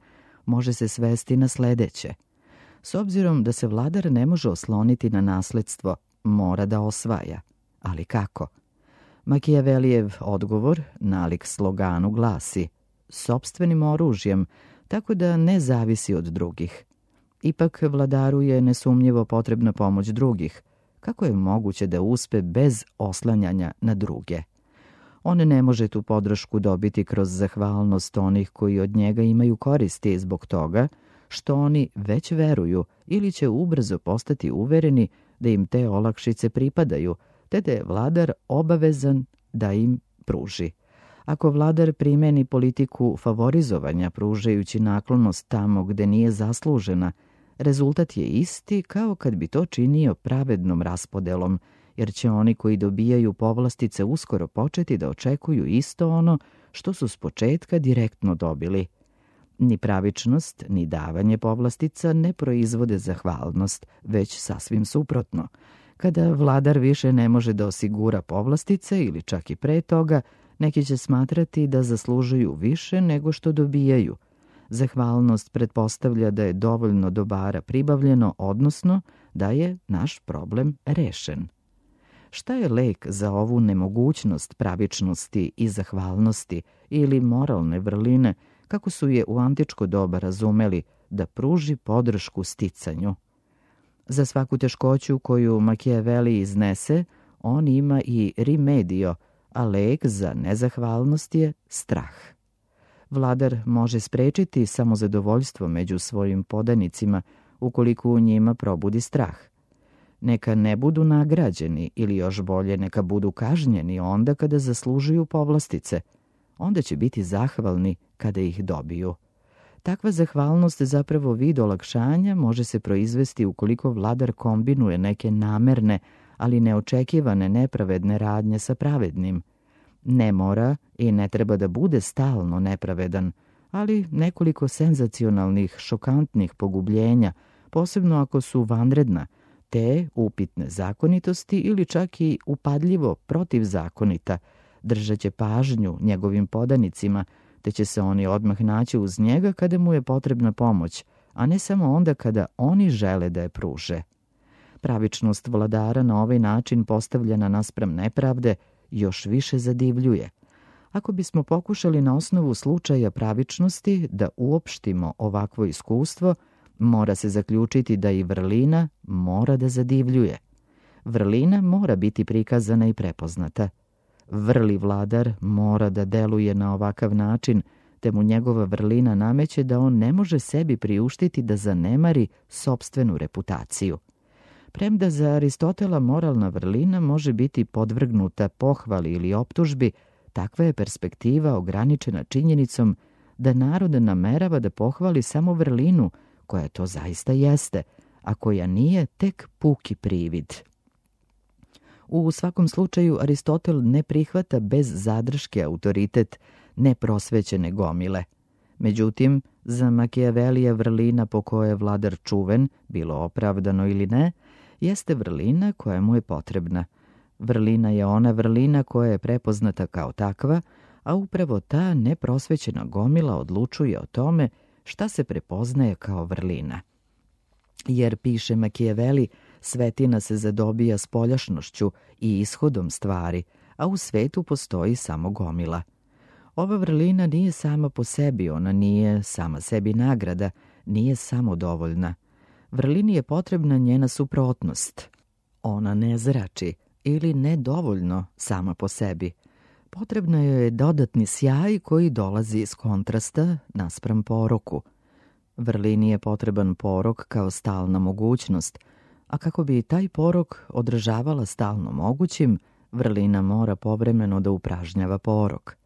može se svesti na sledeće. S obzirom da se vladar ne može osloniti na nasledstvo, mora da osvaja. Ali kako? Makijavelijev odgovor, nalik sloganu, glasi sopstvenim oružjem, tako da ne zavisi od drugih. Ipak vladaru je nesumnjivo potrebna pomoć drugih. Kako je moguće da uspe bez oslanjanja na druge? On ne može tu podršku dobiti kroz zahvalnost onih koji od njega imaju koristi zbog toga što oni već veruju ili će ubrzo postati uvereni da im te olakšice pripadaju, te da je vladar obavezan da im pruži. Ako vladar primeni politiku favorizovanja pružajući naklonost tamo gde nije zaslužena, rezultat je isti kao kad bi to činio pravednom raspodelom, jer će oni koji dobijaju povlastice uskoro početi da očekuju isto ono što su s početka direktno dobili. Ni pravičnost, ni davanje povlastica ne proizvode zahvalnost, već sasvim suprotno. Kada vladar više ne može da osigura povlastice ili čak i pre toga, neki će smatrati da zaslužuju više nego što dobijaju. Zahvalnost pretpostavlja da je dovoljno dobara pribavljeno, odnosno da je naš problem rešen. Šta je lek za ovu nemogućnost pravičnosti i zahvalnosti ili moralne vrline, kako su je u antičko doba razumeli, da pruži podršku sticanju? Za svaku teškoću koju Makijaveli iznese, on ima i rimedio, a lek za nezahvalnost je strah. Vladar može sprečiti samozadovoljstvo među svojim podanicima ukoliko u njima probudi strah. Neka ne budu nagrađeni ili još bolje neka budu kažnjeni onda kada zaslužuju povlastice. Onda će biti zahvalni kada ih dobiju. Takva zahvalnost zapravo vid olakšanja može se proizvesti ukoliko vladar kombinuje neke namerne, ali neočekivane nepravedne radnje sa pravednim. Ne mora i ne treba da bude stalno nepravedan, ali nekoliko senzacionalnih, šokantnih pogubljenja, posebno ako su vanredna, te upitne zakonitosti ili čak i upadljivo protivzakonita, držat će pažnju njegovim podanicima, te će se oni odmah naći uz njega kada mu je potrebna pomoć, a ne samo onda kada oni žele da je pruže. Pravičnost vladara na ovaj način postavljena naspram nepravde još više zadivljuje. Ako bismo pokušali na osnovu slučaja pravičnosti da uopštimo ovakvo iskustvo, mora se zaključiti da i vrlina mora da zadivljuje. Vrlina mora biti prikazana i prepoznata. Vrli vladar mora da deluje na ovakav način, te mu njegova vrlina nameće da on ne može sebi priuštiti da zanemari sopstvenu reputaciju. Premda za Aristotela moralna vrlina može biti podvrgnuta pohvali ili optužbi, takva je perspektiva ograničena činjenicom da narod namerava da pohvali samo vrlinu, koja to zaista jeste, a koja nije tek puki privid. U svakom slučaju Aristotel ne prihvata bez zadrške autoritet neprosvećene gomile. Međutim, za Makijavelija vrlina po kojoj je vladar čuven, bilo opravdano ili ne, jeste vrlina koja mu je potrebna. Vrlina je ona vrlina koja je prepoznata kao takva, a upravo ta neprosvećena gomila odlučuje o tome šta se prepoznaje kao vrlina. Jer, piše Makijaveli, svetina se zadobija spoljašnošću i ishodom stvari, a u svetu postoji samo gomila. Ova vrlina nije sama po sebi, ona nije sama sebi nagrada, nije samodovoljna. Vrlini je potrebna njena suprotnost. Ona ne zrači ili nedovoljno sama po sebi. Potrebno joj je dodatni sjaj koji dolazi iz kontrasta naspram poroku. Vrlini je potreban porok kao stalna mogućnost, a kako bi taj porok održavala stalno mogućim, vrlina mora povremeno da upražnjava porok.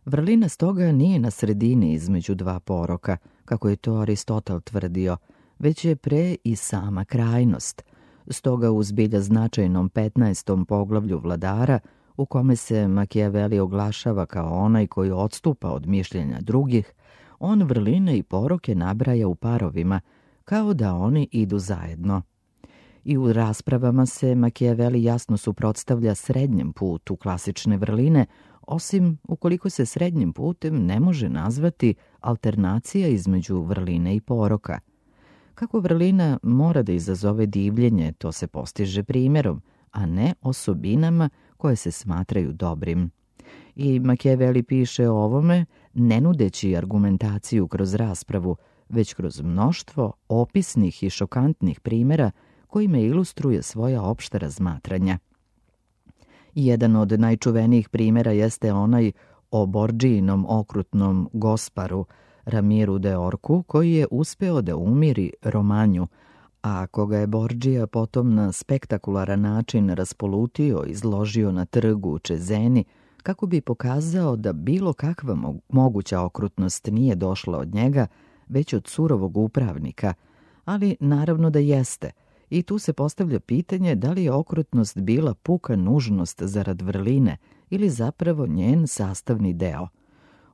Vrlina stoga nije na sredini između dva poroka, kako je to Aristotel tvrdio, već je pre i sama krajnost. Stoga u zbilja značajnom petnaestom poglavlju vladara, u kome se Makijaveli oglašava kao onaj koji odstupa od mišljenja drugih, on vrline i poroke nabraja u parovima, kao da oni idu zajedno. I u raspravama se Makijaveli jasno suprotstavlja srednjem putu klasične vrline, osim ukoliko se srednjim putem ne može nazvati alternacija između vrline i poroka. Kako vrlina mora da izazove divljenje, to se postiže primjerom, a ne osobinama koje se smatraju dobrim. I Makijaveli piše o ovome ne nudeći argumentaciju kroz raspravu, već kroz mnoštvo opisnih i šokantnih primjera kojime ilustruje svoja opšta razmatranja. Jedan od najčuvenijih primjera jeste onaj o Bordžijinom okrutnom gosparu Ramiru de Orku, koji je uspeo da umiri Romanju, a koga je Bordžija potom na spektakularan način raspolutio i izložio na trgu u Čezeni, kako bi pokazao da bilo kakva moguća okrutnost nije došla od njega, već od surovog upravnika, ali naravno da jeste. I tu se postavlja pitanje da li je okrutnost bila puka nužnost zarad vrline ili zapravo njen sastavni deo.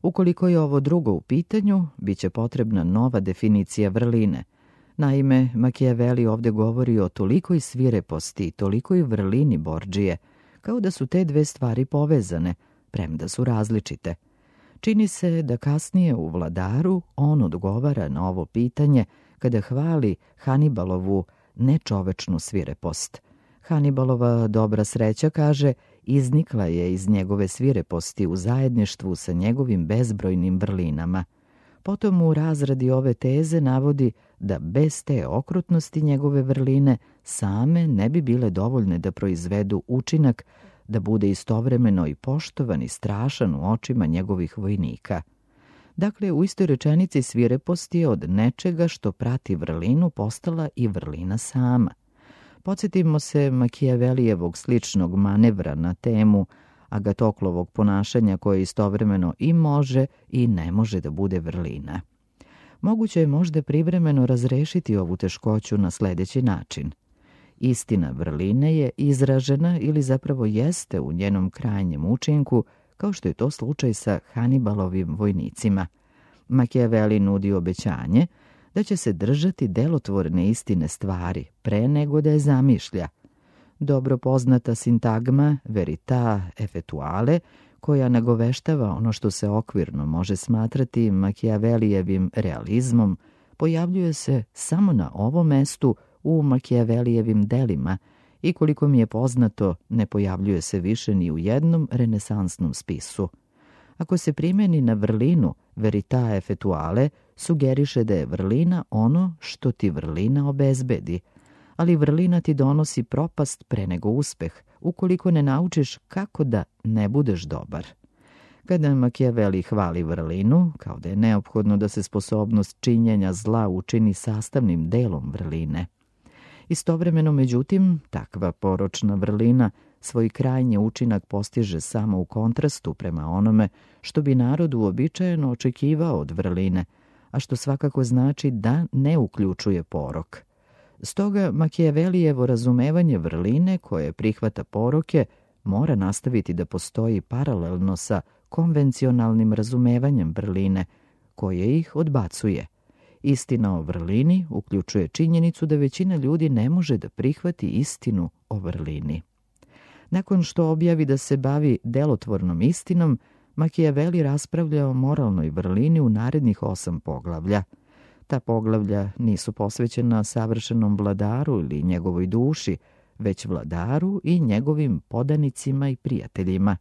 Ukoliko je ovo drugo u pitanju, bit će potrebna nova definicija vrline. Naime, Makijaveli ovdje govori o tolikoj svireposti i tolikoj vrlini Bordžije, kao da su te dve stvari povezane, premda su različite. Čini se da kasnije u Vladaru on odgovara na ovo pitanje kada hvali Hanibalovu nečovečnu svirepost. Hanibalova dobra sreća, kaže, iznikla je iz njegove svireposti u zajedništvu sa njegovim bezbrojnim vrlinama. Potom u razradi ove teze navodi da bez te okrutnosti njegove vrline same ne bi bile dovoljne da proizvedu učinak da bude istovremeno i poštovan i strašan u očima njegovih vojnika. Dakle, u istoj rečenici svirepost je od nečega što prati vrlinu postala i vrlina sama. Podsjetimo se Makijavelijevog sličnog manevra na temu Agatoklovog ponašanja koje istovremeno i može i ne može da bude vrlina. Moguće je možda privremeno razrešiti ovu teškoću na sljedeći način. Istina vrline je izražena ili zapravo jeste u njenom krajnjem učinku, kao što je to slučaj sa Hanibalovim vojnicima. Makijaveli nudi obećanje da će se držati delotvorne istine stvari pre nego da je zamišlja. Dobro poznata sintagma verita effettuale, koja nagoveštava ono što se okvirno može smatrati Makijavelijevim realizmom, pojavljuje se samo na ovom mestu u Makijavelijevim delima i koliko mi je poznato ne pojavljuje se više ni u jednom renesansnom spisu. Ako se primeni na vrlinu verita effettuale, sugeriše da je vrlina ono što ti vrlina obezbedi, ali vrlina ti donosi propast pre nego uspeh, ukoliko ne naučiš kako da ne budeš dobar. Kada Makijaveli hvali vrlinu, kao da je neophodno da se sposobnost činjenja zla učini sastavnim delom vrline. Istovremeno, međutim, takva poročna vrlina svoj krajnji učinak postiže samo u kontrastu prema onome što bi narod uobičajeno očekivao od vrline, a što svakako znači da ne uključuje porok. Stoga Makijavelijevo razumevanje vrline koje prihvata poroke mora nastaviti da postoji paralelno sa konvencionalnim razumevanjem vrline koje ih odbacuje. Istina o vrlini uključuje činjenicu da većina ljudi ne može da prihvati istinu o vrlini. Nakon što objavi da se bavi delotvornom istinom, Makijaveli raspravlja o moralnoj vrlini u narednih osam poglavlja. Ta poglavlja nisu posvećena savršenom vladaru ili njegovoj duši, već vladaru i njegovim podanicima i prijateljima.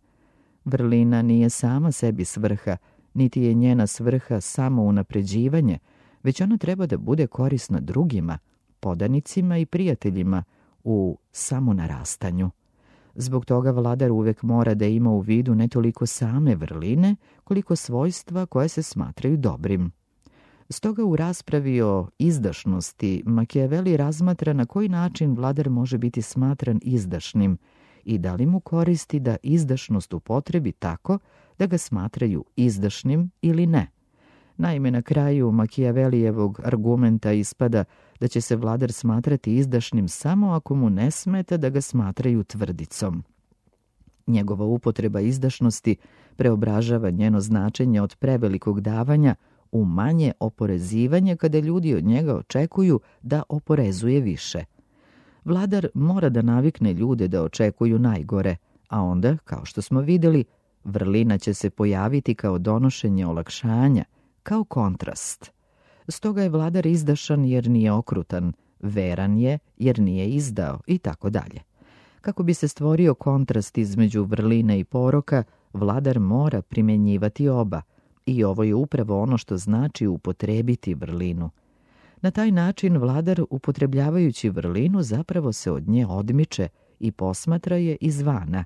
Vrlina nije sama sebi svrha, niti je njena svrha samo unapređivanje, već ona treba da bude korisna drugima, podanicima i prijateljima u samonarastanju. Zbog toga vladar uvek mora da ima u vidu ne toliko same vrline, koliko svojstva koje se smatraju dobrim. Stoga u raspravi o izdašnosti Makijaveli razmatra na koji način vladar može biti smatran izdašnim i da li mu koristi da izdašnost upotrebi tako da ga smatraju izdašnim ili ne. Naime, na kraju Makijavelijevog argumenta ispada da će se vladar smatrati izdašnim samo ako mu ne smeta da ga smatraju tvrdicom. Njegova upotreba izdašnosti preobražava njeno značenje od prevelikog davanja u manje oporezivanje kada ljudi od njega očekuju da oporezuje više. Vladar mora da navikne ljude da očekuju najgore, a onda, kao što smo vidjeli, vrlina će se pojaviti kao donošenje olakšanja, kao kontrast. Stoga je vladar izdašan jer nije okrutan, veran je jer nije izdao i tako dalje. Kako bi se stvorio kontrast između vrline i poroka, vladar mora primjenjivati oba i ovo je upravo ono što znači upotrebiti vrlinu. Na taj način vladar, upotrebljavajući vrlinu, zapravo se od nje odmiče i posmatra je izvana.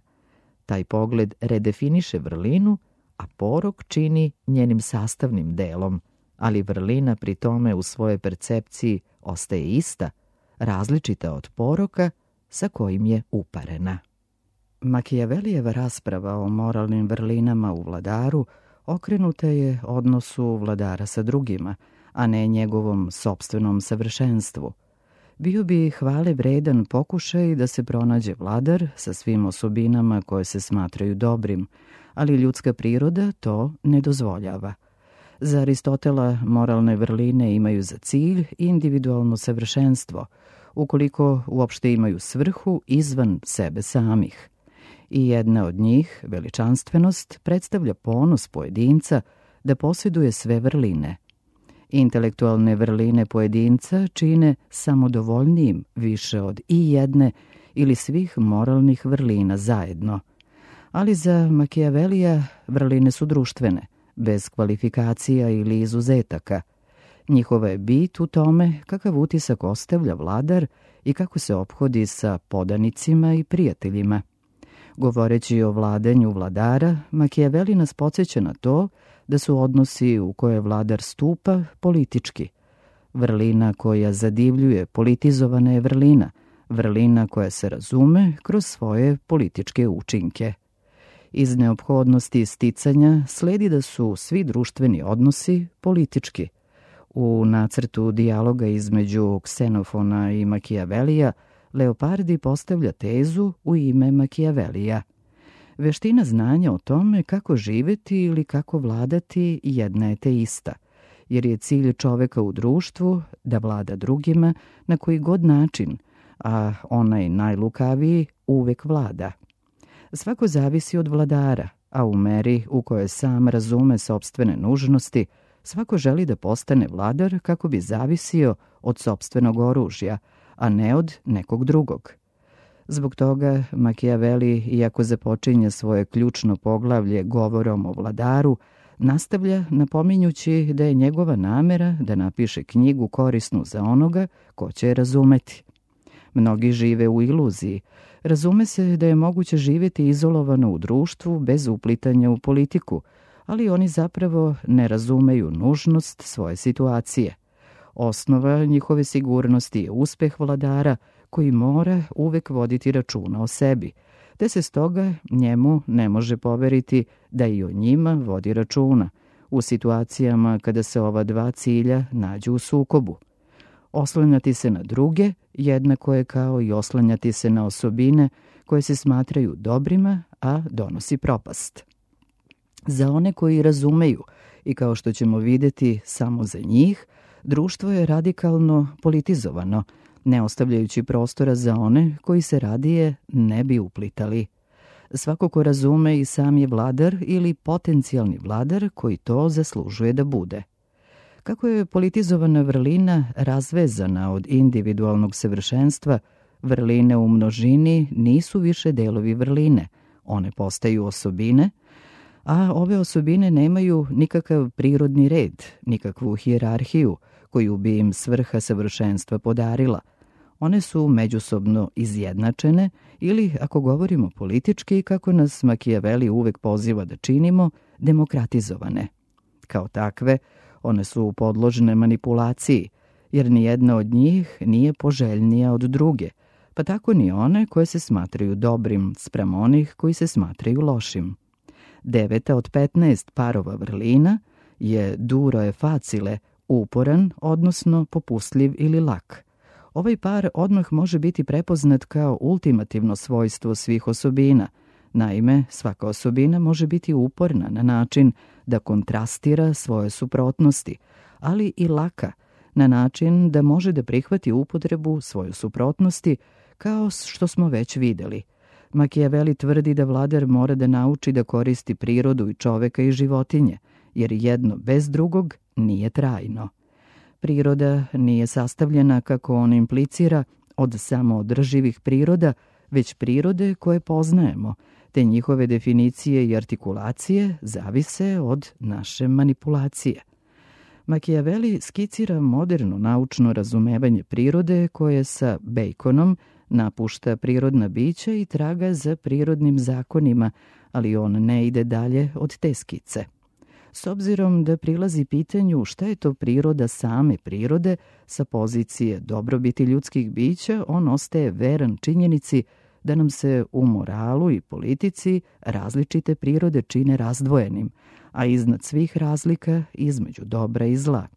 Taj pogled redefiniše vrlinu, a porok čini njenim sastavnim delom, ali vrlina pri tome u svojoj percepciji ostaje ista, različita od poroka sa kojim je uparena. Makijavelijeva rasprava o moralnim vrlinama u vladaru okrenuta je odnosu vladara sa drugima, a ne njegovom sopstvenom savršenstvu. Bio bi hvale vredan pokušaj da se pronađe vladar sa svim osobinama koje se smatraju dobrim, ali ljudska priroda to ne dozvoljava. Za Aristotela moralne vrline imaju za cilj individualno savršenstvo, ukoliko uopšte imaju svrhu izvan sebe samih. I jedna od njih, veličanstvenost, predstavlja ponos pojedinca da posjeduje sve vrline. Intelektualne vrline pojedinca čine samodovoljnijim više od i jedne ili svih moralnih vrlina zajedno. Ali za Makijavelija vrline su društvene, bez kvalifikacija ili izuzetaka. Njihova je bit u tome kakav utisak ostavlja vladar i kako se ophodi sa podanicima i prijateljima. Govoreći o vladanju vladara, Makijaveli nas podsjeća na to da su odnosi u koje vladar stupa politički. Vrlina koja zadivljuje politizovana je vrlina, vrlina koja se razume kroz svoje političke učinke. Iz neophodnosti sticanja sledi da su svi društveni odnosi politički. U nacrtu dijaloga između Ksenofona i Makijavelija Leopardi postavlja tezu u ime Makijavelija. Veština znanja o tome kako živeti ili kako vladati jedna je te ista, jer je cilj čoveka u društvu da vlada drugima na koji god način, a onaj najlukaviji uvek vlada. Svako zavisi od vladara, a u meri u kojoj sam razume sopstvene nužnosti, svako želi da postane vladar kako bi zavisio od sopstvenog oružja, a ne od nekog drugog. Zbog toga Makijaveli, iako započinje svoje ključno poglavlje govorom o vladaru, nastavlja napominjući da je njegova namera da napiše knjigu korisnu za onoga ko će je razumeti. Mnogi žive u iluziji. Razume se da je moguće živjeti izolovano u društvu bez uplitanja u politiku, ali oni zapravo ne razumeju nužnost svoje situacije. Osnova njihove sigurnosti je uspeh vladara koji mora uvek voditi računa o sebi, te se stoga njemu ne može poveriti da i o njima vodi računa u situacijama kada se ova dva cilja nađu u sukobu. Oslanjati se na druge jednako je kao i oslanjati se na osobine koje se smatraju dobrima, a donosi propast. Za one koji razumeju i kao što ćemo vidjeti samo za njih, društvo je radikalno politizovano, ne ostavljajući prostora za one koji se radije ne bi uplitali. Svako ko razume i sam je vladar ili potencijalni vladar koji to zaslužuje da bude. Kako je politizovana vrlina razvezana od individualnog savršenstva, vrline u množini nisu više delovi vrline, one postaju osobine, a ove osobine nemaju nikakav prirodni red, nikakvu hijerarhiju koju bi im svrha savršenstva podarila. One su međusobno izjednačene ili, ako govorimo politički, kako nas Makijaveli uvek poziva da činimo, demokratizovane. Kao takve, one su podložne manipulaciji, jer nijedna od njih nije poželjnija od druge, pa tako ni one koje se smatraju dobrim spram onih koji se smatraju lošim. Deveta od petnaest parova vrlina je duro e facile, uporan, odnosno popustljiv ili lak. Ovaj par odmah može biti prepoznat kao ultimativno svojstvo svih osobina, Naime, svaka osobina može biti uporna na način da kontrastira svoje suprotnosti, ali i laka na način da može da prihvati upotrebu svoje suprotnosti, kao što smo već videli. Makijaveli tvrdi da vladar mora da nauči da koristi prirodu i čoveka i životinje, jer jedno bez drugog nije trajno. Priroda nije sastavljena, kako on implicira, od samoodrživih priroda, već prirode koje poznajemo, te njihove definicije i artikulacije zavise od naše manipulacije. Makijaveli skicira moderno naučno razumevanje prirode koje sa Baconom napušta prirodna bića i traga za prirodnim zakonima, ali on ne ide dalje od te skice. S obzirom da prilazi pitanju šta je to priroda same prirode, sa pozicije dobrobiti ljudskih bića, on ostaje veran činjenici da nam se u moralu i politici različite prirode čine razdvojenim, a iznad svih razlika između dobra i zla.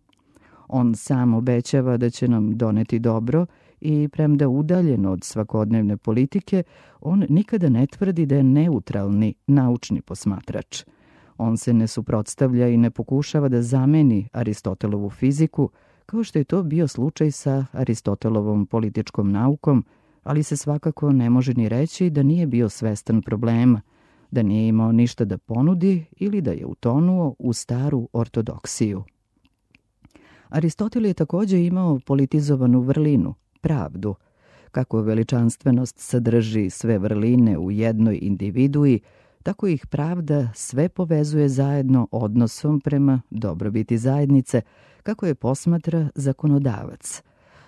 On sam obećava da će nam doneti dobro i premda udaljen od svakodnevne politike, on nikada ne tvrdi da je neutralni naučni posmatrač. On se ne suprotstavlja i ne pokušava da zameni Aristotelovu fiziku, kao što je to bio slučaj sa Aristotelovom političkom naukom, ali se svakako ne može ni reći da nije bio svestan problema, da nije imao ništa da ponudi ili da je utonuo u staru ortodoksiju. Aristotel je također imao politizovanu vrlinu, pravdu. Kako veličanstvenost sadrži sve vrline u jednoj individui, tako ih pravda sve povezuje zajedno odnosom prema dobrobiti zajednice, kako je posmatra zakonodavac.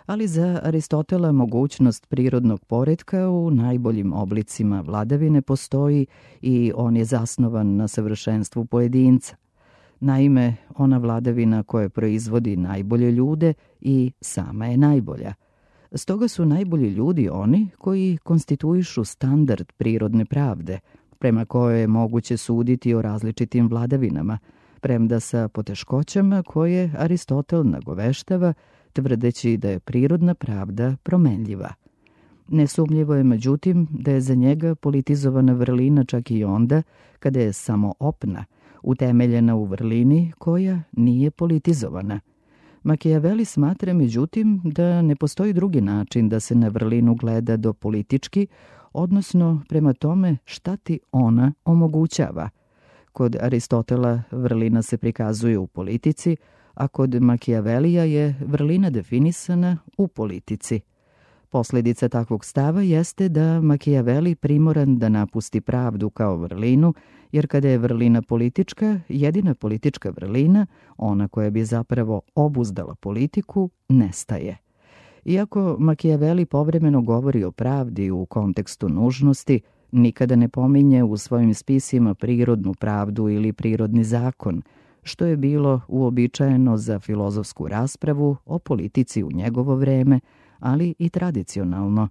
Ali za Aristotela mogućnost prirodnog poretka u najboljim oblicima vladavine postoji i on je zasnovan na savršenstvu pojedinca. Naime, ona vladavina koja proizvodi najbolje ljude i sama je najbolja. Stoga su najbolji ljudi oni koji konstituišu standard prirodne pravde, prema kojoj je moguće suditi o različitim vladavinama, premda sa poteškoćama koje Aristotel nagoveštava, tvrdeći da je prirodna pravda promenljiva. Nesumljivo je, međutim, da je za njega politizovana vrlina čak i onda kada je samo opna, utemeljena u vrlini koja nije politizovana. Makijaveli smatra, međutim, da ne postoji drugi način da se na vrlinu gleda do politički, odnosno prema tome šta ti ona omogućava. Kod Aristotela vrlina se prikazuje u politici, a kod Makijavelija je vrlina definisana u politici. Posljedica takvog stava jeste da Makijaveli primoran da napusti pravdu kao vrlinu, jer kada je vrlina politička, jedina politička vrlina, ona koja bi zapravo obuzdala politiku, nestaje. Iako Makijaveli povremeno govori o pravdi u kontekstu nužnosti, nikada ne pominje u svojim spisima prirodnu pravdu ili prirodni zakon, što je bilo uobičajeno za filozofsku raspravu o politici u njegovo vreme, ali i tradicionalno.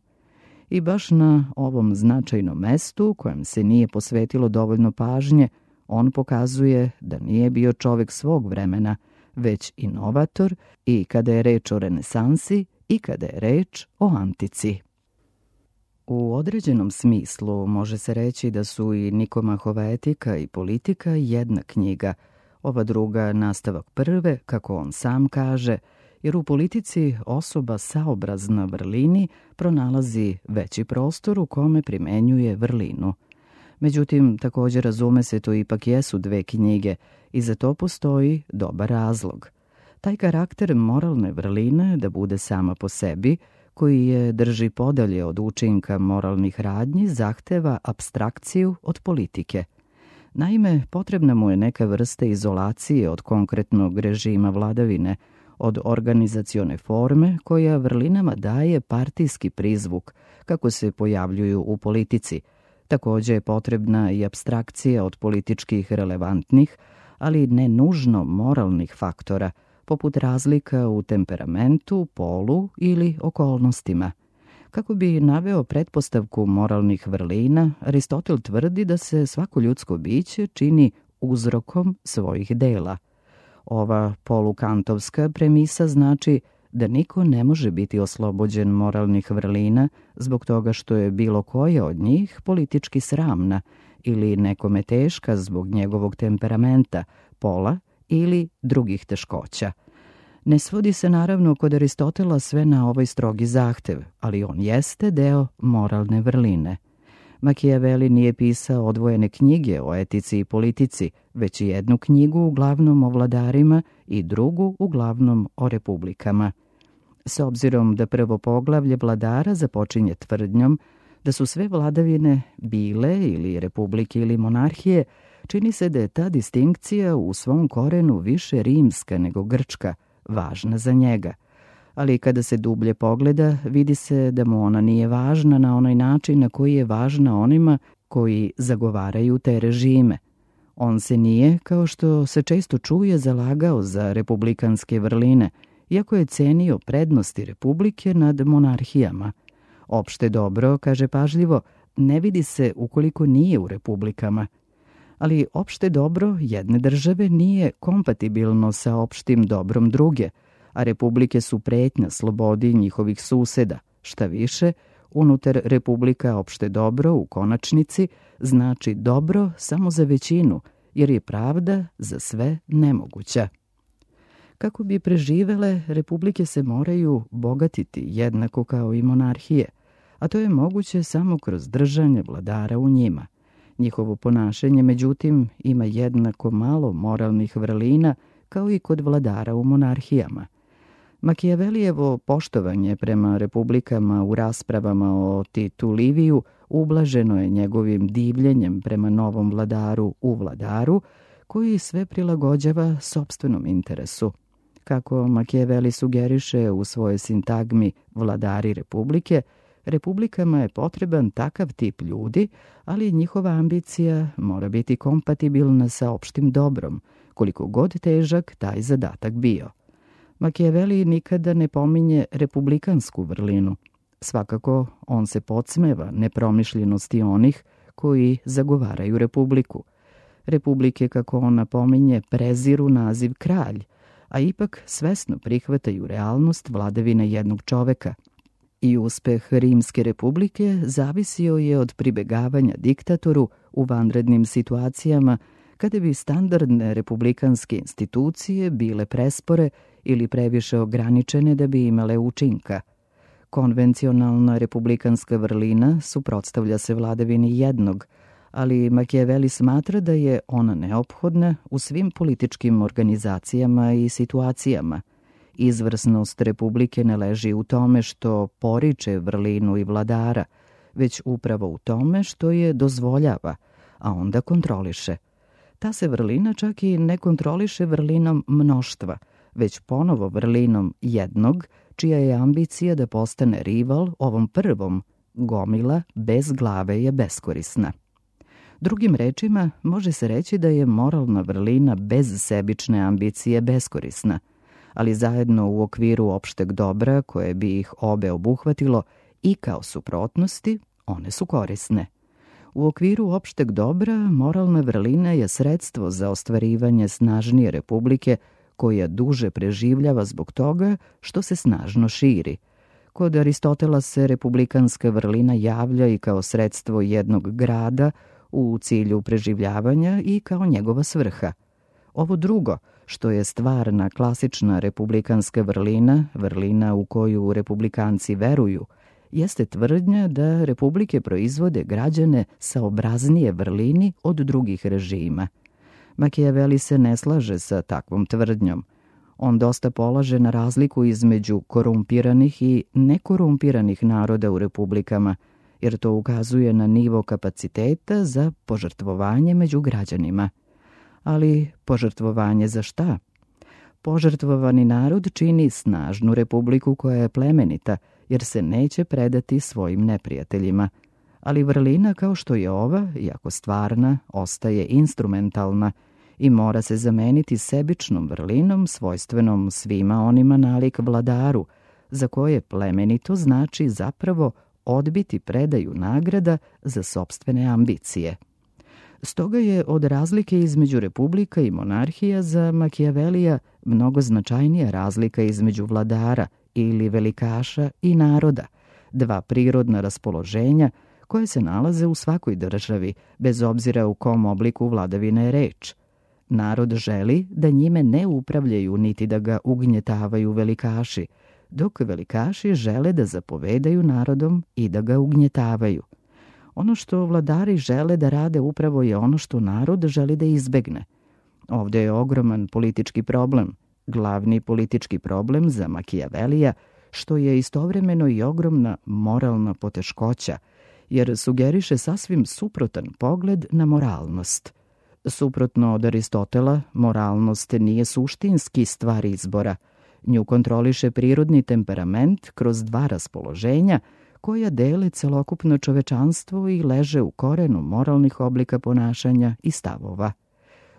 I baš na ovom značajnom mestu, kojem se nije posvetilo dovoljno pažnje, on pokazuje da nije bio čovek svog vremena, već inovator i kada je reč o renesansi i kada je reč o antici. U određenom smislu može se reći da su i Nikomahova etika i politika jedna knjiga, ova druga nastavak prve, kako on sam kaže, jer u politici osoba saobrazna vrlini pronalazi veći prostor u kome primenjuje vrlinu. Međutim, također razume se, to ipak jesu dve knjige i za to postoji dobar razlog. Taj karakter moralne vrline da bude sama po sebi, koji je drži podalje od učinka moralnih radnji, zahteva apstrakciju od politike. Naime, potrebna mu je neka vrsta izolacije od konkretnog režima vladavine, od organizacione forme koja vrlinama daje partijski prizvuk, kako se pojavljuju u politici. Također je potrebna i apstrakcija od političkih relevantnih, ali ne nužno moralnih faktora, poput razlika u temperamentu, polu ili okolnostima. Kako bi naveo pretpostavku moralnih vrlina, Aristotel tvrdi da se svako ljudsko biće čini uzrokom svojih dela. Ova polukantovska premisa znači da niko ne može biti oslobođen moralnih vrlina zbog toga što je bilo koja od njih politički sramna ili nekome teška zbog njegovog temperamenta, pola ili drugih teškoća. Ne svodi se naravno kod Aristotela sve na ovaj strogi zahtev, ali on jeste deo moralne vrline. Makijaveli nije pisao odvojene knjige o etici i politici, već i jednu knjigu uglavnom o vladarima i drugu uglavnom o republikama. S obzirom da prvo poglavlje vladara započinje tvrdnjom da su sve vladavine bile ili republike ili monarhije, čini se da je ta distinkcija u svom korenu više rimska nego grčka, važna za njega. Ali kada se dublje pogleda, vidi se da mu ona nije važna na onaj način na koji je važna onima koji zagovaraju te režime. On se nije, kao što se često čuje, zalagao za republikanske vrline, iako je cenio prednosti republike nad monarhijama. Opšte dobro, kaže pažljivo, ne vidi se ukoliko nije u republikama. Ali opšte dobro jedne države nije kompatibilno sa opštim dobrom druge, a republike su pretnja slobodi njihovih suseda. Šta više, unutar republika opšte dobro u konačnici znači dobro samo za većinu, jer je pravda za sve nemoguća. Kako bi preživele, republike se moraju bogatiti jednako kao i monarhije, a to je moguće samo kroz držanje vladara u njima. Njihovo ponašanje, međutim, ima jednako malo moralnih vrlina kao i kod vladara u monarhijama. Makijavelijevo poštovanje prema republikama u raspravama o Titu Liviju ublaženo je njegovim divljenjem prema novom vladaru u vladaru, koji sve prilagođava sopstvenom interesu. Kako Makijaveli sugeriše u svojoj sintagmi Vladari republike, republikama je potreban takav tip ljudi, ali njihova ambicija mora biti kompatibilna sa opštim dobrom, koliko god težak taj zadatak bio. Makijaveli nikada ne pominje republikansku vrlinu. Svakako, on se podsmeva nepromišljenosti onih koji zagovaraju republiku. Republike, kako on napominje, preziru naziv kralj, a ipak svesno prihvataju realnost vladavine jednog čoveka. I uspeh Rimske republike zavisio je od pribegavanja diktatoru u vanrednim situacijama, kada bi standardne republikanske institucije bile prespore ili previše ograničene da bi imale učinka. Konvencionalna republikanska vrlina suprotstavlja se vladavini jednog, ali Makijaveli smatra da je ona neophodna u svim političkim organizacijama i situacijama. Izvrsnost republike ne leži u tome što poriče vrlinu i vladara, već upravo u tome što je dozvoljava, a onda kontroliše. Ta se vrlina čak i ne kontroliše vrlinom mnoštva, već ponovo vrlinom jednog, čija je ambicija da postane rival ovom prvom, gomila bez glave je beskorisna. Drugim rečima, može se reći da je moralna vrlina bez sebične ambicije beskorisna, ali zajedno u okviru opšteg dobra koje bi ih obe obuhvatilo i kao suprotnosti, one su korisne. U okviru opšteg dobra moralna vrlina je sredstvo za ostvarivanje snažnije republike koja duže preživljava zbog toga što se snažno širi. Kod Aristotela se republikanska vrlina javlja i kao sredstvo jednog grada u cilju preživljavanja i kao njegova svrha. Ovo drugo, što je stvarna klasična republikanska vrlina, vrlina u koju republikanci veruju, jeste tvrdnja da republike proizvode građane saobraznije vrlini od drugih režima. Makijaveli se ne slaže sa takvom tvrdnjom. On dosta polaže na razliku između korumpiranih i nekorumpiranih naroda u republikama, jer to ukazuje na nivo kapaciteta za požrtvovanje među građanima. Ali požrtvovanje za šta? Požrtvovani narod čini snažnu republiku koja je plemenita, jer se neće predati svojim neprijateljima. Ali vrlina kao što je ova, iako stvarna, ostaje instrumentalna i mora se zameniti sebičnom vrlinom svojstvenom svima onima nalik vladaru, za koje plemenito znači zapravo odbiti predaju nagrada za sopstvene ambicije. Stoga je od razlike između republika i monarhija za Makijavelija mnogo značajnija razlika između vladara ili velikaša i naroda, dva prirodna raspoloženja koje se nalaze u svakoj državi, bez obzira u kom obliku vladavine je reč. Narod želi da njime ne upravljaju niti da ga ugnjetavaju velikaši, dok velikaši žele da zapovedaju narodom i da ga ugnjetavaju. Ono što vladari žele da rade upravo je ono što narod želi da izbegne. Ovdje je ogroman politički problem, glavni politički problem za Makijavelija, što je istovremeno i ogromna moralna poteškoća, jer sugeriše sasvim suprotan pogled na moralnost. Suprotno od Aristotela, moralnost nije suštinski stvar izbora. Nju kontroliše prirodni temperament kroz dva raspoloženja koja dele celokupno čovečanstvo i leže u korenu moralnih oblika ponašanja i stavova.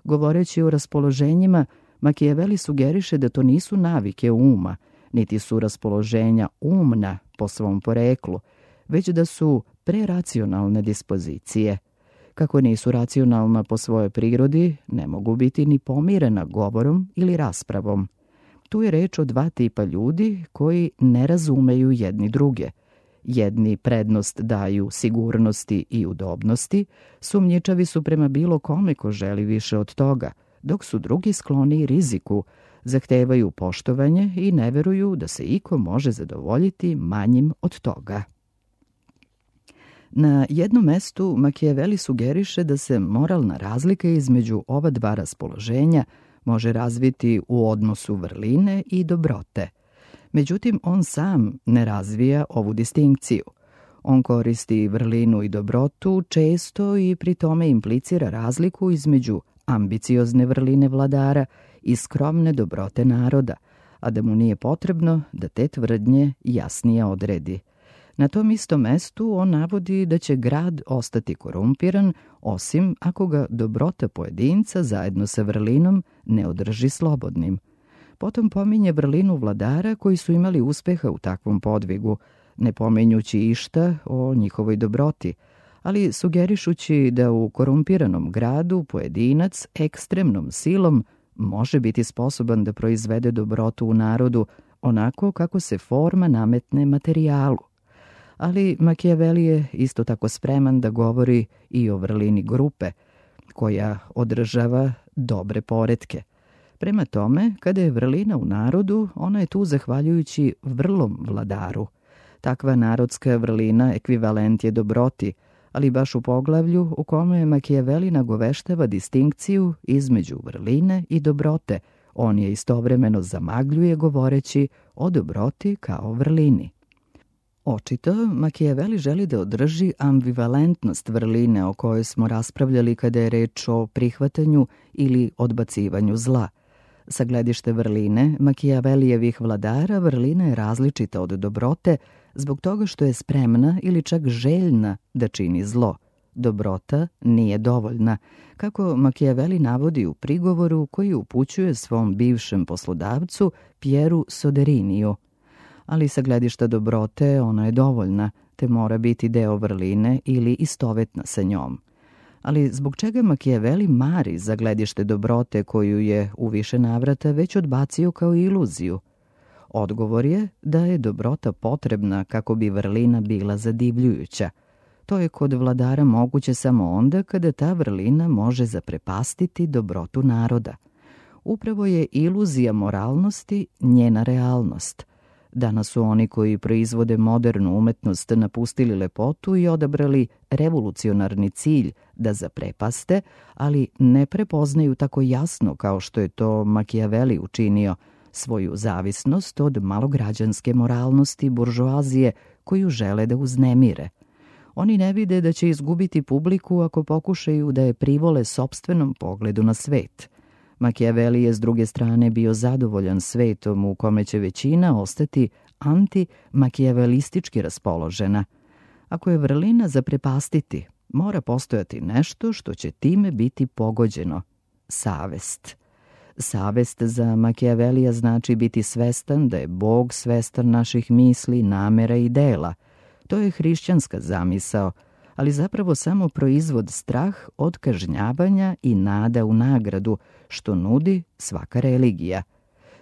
Govoreći o raspoloženjima, Makijaveli sugeriše da to nisu navike uma, niti su raspoloženja umna po svom poreklu, već da su preracionalne dispozicije. Kako nisu racionalna po svojoj prirodi, ne mogu biti ni pomirena govorom ili raspravom. Tu je reč o dva tipa ljudi koji ne razumeju jedni druge. Jedni prednost daju sigurnosti i udobnosti, sumnjičavi su prema bilo kome ko želi više od toga, dok su drugi skloni riziku, zahtevaju poštovanje i ne veruju da se iko može zadovoljiti manjim od toga. Na jednom mestu Makijaveli sugeriše da se moralna razlika između ova dva raspoloženja može razviti u odnosu vrline i dobrote. Međutim, on sam ne razvija ovu distinkciju. On koristi vrlinu i dobrotu često i pri tome implicira razliku između ambiciozne vrline vladara i skromne dobrote naroda, a da mu nije potrebno da te tvrdnje jasnije odredi. Na tom istom mestu on navodi da će grad ostati korumpiran, osim ako ga dobrota pojedinca zajedno sa vrlinom ne održi slobodnim. Potom pominje vrlinu vladara koji su imali uspeha u takvom podvigu, ne pominjući išta o njihovoj dobroti, ali sugerišući da u korumpiranom gradu pojedinac ekstremnom silom može biti sposoban da proizvede dobrotu u narodu onako kako se forma nametne materijalu. Ali Makijaveli je isto tako spreman da govori i o vrlini grupe, koja održava dobre poretke. Prema tome, kada je vrlina u narodu, ona je tu zahvaljujući vrlom vladaru. Takva narodska vrlina ekvivalent je dobroti, ali baš u poglavlju u kome Makijaveli nagoveštava distinkciju između vrline i dobrote, on je istovremeno zamagljuje govoreći o dobroti kao vrlini. Očito, Makijaveli želi da održi ambivalentnost vrline o kojoj smo raspravljali kada je reč o prihvatanju ili odbacivanju zla. Sa gledište vrline, Makijavelijevih vladara vrlina je različita od dobrote zbog toga što je spremna ili čak željna da čini zlo. Dobrota nije dovoljna, kako Makijaveli navodi u prigovoru koji upućuje svom bivšem poslodavcu Pieru Soderiniju. Ali sa gledišta dobrote ona je dovoljna, te mora biti deo vrline ili istovetna sa njom. Ali zbog čega Makijaveli mari za gledište dobrote koju je u više navrata već odbacio kao iluziju? Odgovor je da je dobrota potrebna kako bi vrlina bila zadivljujuća. To je kod vladara moguće samo onda kada ta vrlina može zaprepastiti dobrotu naroda. Upravo je iluzija moralnosti njena realnost. Danas su oni koji proizvode modernu umetnost napustili lepotu i odabrali revolucionarni cilj da zaprepaste, ali ne prepoznaju tako jasno kao što je to Makijaveli učinio, svoju zavisnost od malograđanske moralnosti buržoazije koju žele da uznemire. Oni ne vide da će izgubiti publiku ako pokušaju da je privole sopstvenom pogledu na svet. Makijaveli je s druge strane bio zadovoljan svetom u kome će većina ostati anti-makijavelistički raspoložena. Ako je vrlina zaprepastiti, mora postojati nešto što će time biti pogođeno. Savest. Savest za Makijavelija znači biti svestan da je Bog svestan naših misli, namera i dela. To je hrišćanska zamisao, ali zapravo samo proizvod strah od kažnjavanja i nada u nagradu, što nudi svaka religija.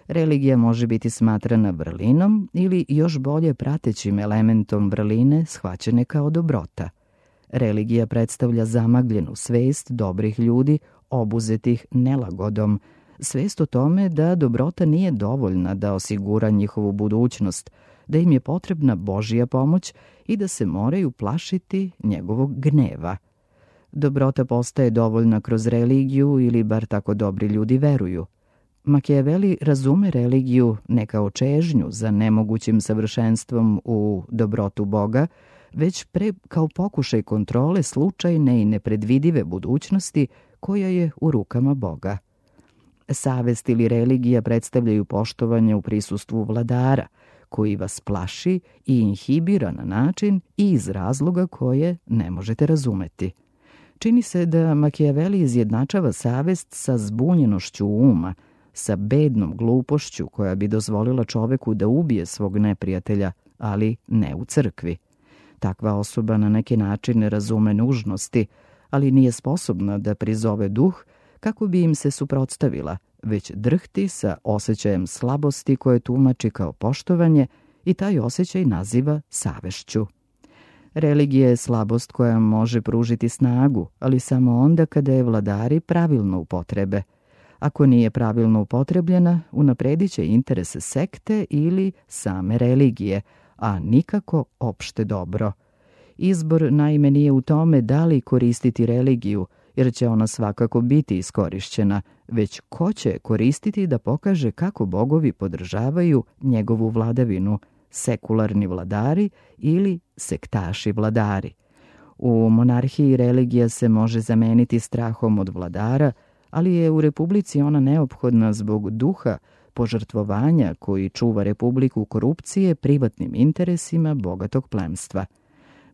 Religija može biti smatrana vrlinom ili još bolje pratećim elementom vrline shvaćene kao dobrota. Religija predstavlja zamagljenu svest dobrih ljudi obuzetih nelagodom, svest o tome da dobrota nije dovoljna da osigura njihovu budućnost, da im je potrebna Božja pomoć i da se moraju plašiti njegovog gneva. Dobrota postaje dovoljna kroz religiju ili bar tako dobri ljudi veruju. Makijaveli razume religiju ne kao čežnju za nemogućim savršenstvom u dobrotu Boga, već pre kao pokušaj kontrole slučajne i nepredvidive budućnosti koja je u rukama Boga. Savest ili religija predstavljaju poštovanje u prisustvu vladara, koji vas plaši i inhibira na način i iz razloga koje ne možete razumeti. Čini se da Makijaveli izjednačava savest sa zbunjenošću uma, sa bednom glupošću koja bi dozvolila čoveku da ubije svog neprijatelja, ali ne u crkvi. Takva osoba na neki način ne razume nužnosti, ali nije sposobna da prizove duh kako bi im se suprotstavila, već drhti sa osjećajem slabosti koje tumači kao poštovanje i taj osjećaj naziva savešću. Religija je slabost koja može pružiti snagu, ali samo onda kada je vladari pravilno upotrebe. Ako nije pravilno upotrebljena, unapredit će interese sekte ili same religije, a nikako opšte dobro. Izbor naime nije u tome da li koristiti religiju, jer će ona svakako biti iskorišćena, već ko će koristiti da pokaže kako bogovi podržavaju njegovu vladavinu, sekularni vladari ili sektaši vladari. U monarhiji religija se može zameniti strahom od vladara, ali je u republici ona neophodna zbog duha požrtvovanja koji čuva republiku korupcije privatnim interesima bogatog plemstva.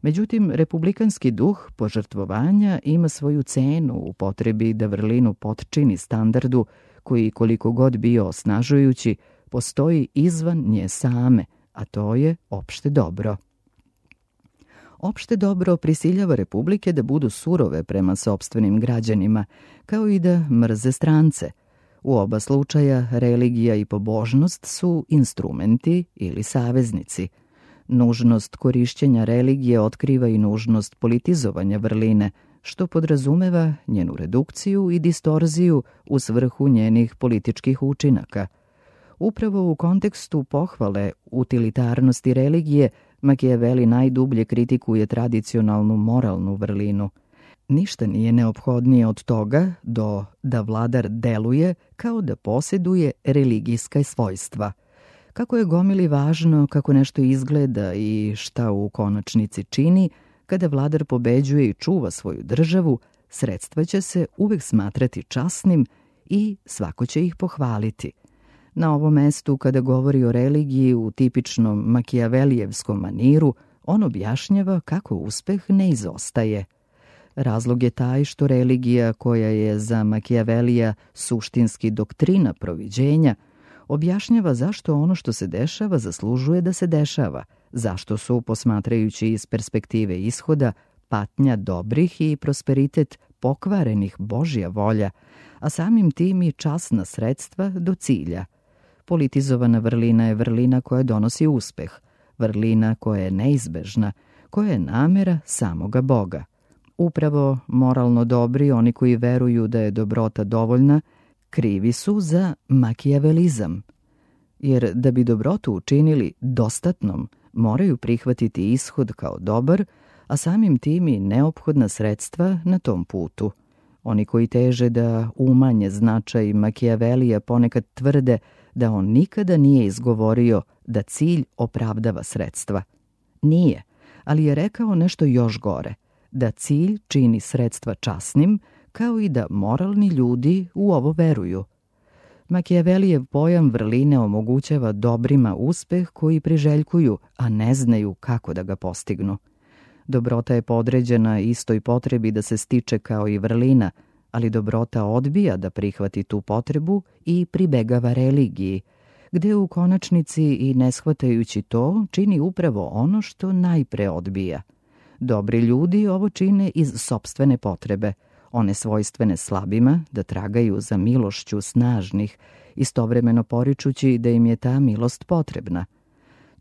Međutim, republikanski duh požrtvovanja ima svoju cenu u potrebi da vrlinu potčini standardu koji, koliko god bio osnažujući, postoji izvan nje same, a to je opšte dobro. Opšte dobro prisiljava republike da budu surove prema sopstvenim građanima, kao i da mrze strance. U oba slučaja religija i pobožnost su instrumenti ili saveznici. Nužnost korišćenja religije otkriva i nužnost politizovanja vrline, što podrazumeva njenu redukciju i distorziju u svrhu njenih političkih učinaka. Upravo u kontekstu pohvale utilitarnosti religije, Makijaveli najdublje kritikuje tradicionalnu moralnu vrlinu. Ništa nije neophodnije od toga do da vladar deluje kao da posjeduje religijska svojstva. Kako je gomili važno kako nešto izgleda i šta u konačnici čini, kada vladar pobeđuje i čuva svoju državu, sredstva će se uvek smatrati časnim i svako će ih pohvaliti. Na ovom mestu, kada govori o religiji u tipičnom makijavelijevskom maniru, on objašnjava kako uspeh ne izostaje. Razlog je taj što religija, koja je za Makijavelija suštinski doktrina proviđenja, objašnjava zašto ono što se dešava zaslužuje da se dešava, zašto su, posmatrajući iz perspektive ishoda, patnja dobrih i prosperitet pokvarenih Božja volja, a samim tim i časna sredstva do cilja. Politizovana vrlina je vrlina koja donosi uspeh, vrlina koja je neizbežna, koja je namera samoga Boga. Upravo moralno dobri, oni koji veruju da je dobrota dovoljna, krivi su za makijavelizam. Jer da bi dobrotu učinili dostatnom, moraju prihvatiti ishod kao dobar, a samim tim i neophodna sredstva na tom putu. Oni koji teže da umanje značaj Makijavelija ponekad tvrde da on nikada nije izgovorio da cilj opravdava sredstva. Nije, ali je rekao nešto još gore, da cilj čini sredstva časnim, kao i da moralni ljudi u ovo veruju. Makijavelijev pojam vrline omogućava dobrima uspeh koji priželjkuju, a ne znaju kako da ga postignu. Dobrota je podređena istoj potrebi da se stiče kao i vrlina, ali dobrota odbija da prihvati tu potrebu i pribegava religiji, gde u konačnici i ne shvatajući to čini upravo ono što najpre odbija. Dobri ljudi ovo čine iz sopstvene potrebe, one svojstvene slabima da tragaju za milošću snažnih, istovremeno poričući da im je ta milost potrebna.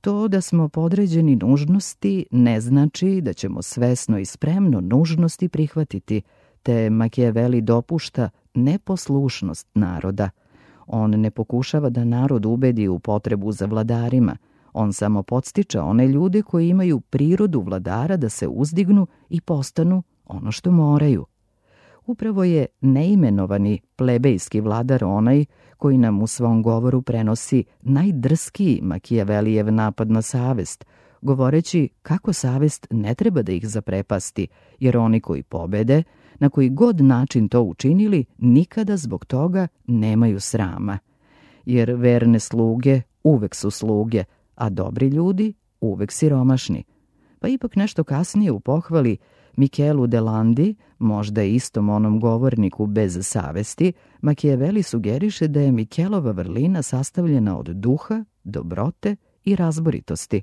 To da smo podređeni nužnosti ne znači da ćemo svesno i spremno nužnosti prihvatiti, te Makijaveli dopušta neposlušnost naroda. On ne pokušava da narod ubedi u potrebu za vladarima, on samo podstiče one ljude koji imaju prirodu vladara da se uzdignu i postanu ono što moraju. Upravo je neimenovani plebejski vladar onaj koji nam u svom govoru prenosi najdrskiji Makijavelijev napad na savest, govoreći kako savest ne treba da ih zaprepasti, jer oni koji pobede, na koji god način to učinili, nikada zbog toga nemaju srama. Jer verne sluge uvek su sluge, a dobri ljudi uvek siromašni. Pa ipak nešto kasnije u pohvali Michelu de Landi, možda istom onom govorniku bez savesti, Makijaveli sugeriše da je Michelova vrlina sastavljena od duha, dobrote i razboritosti.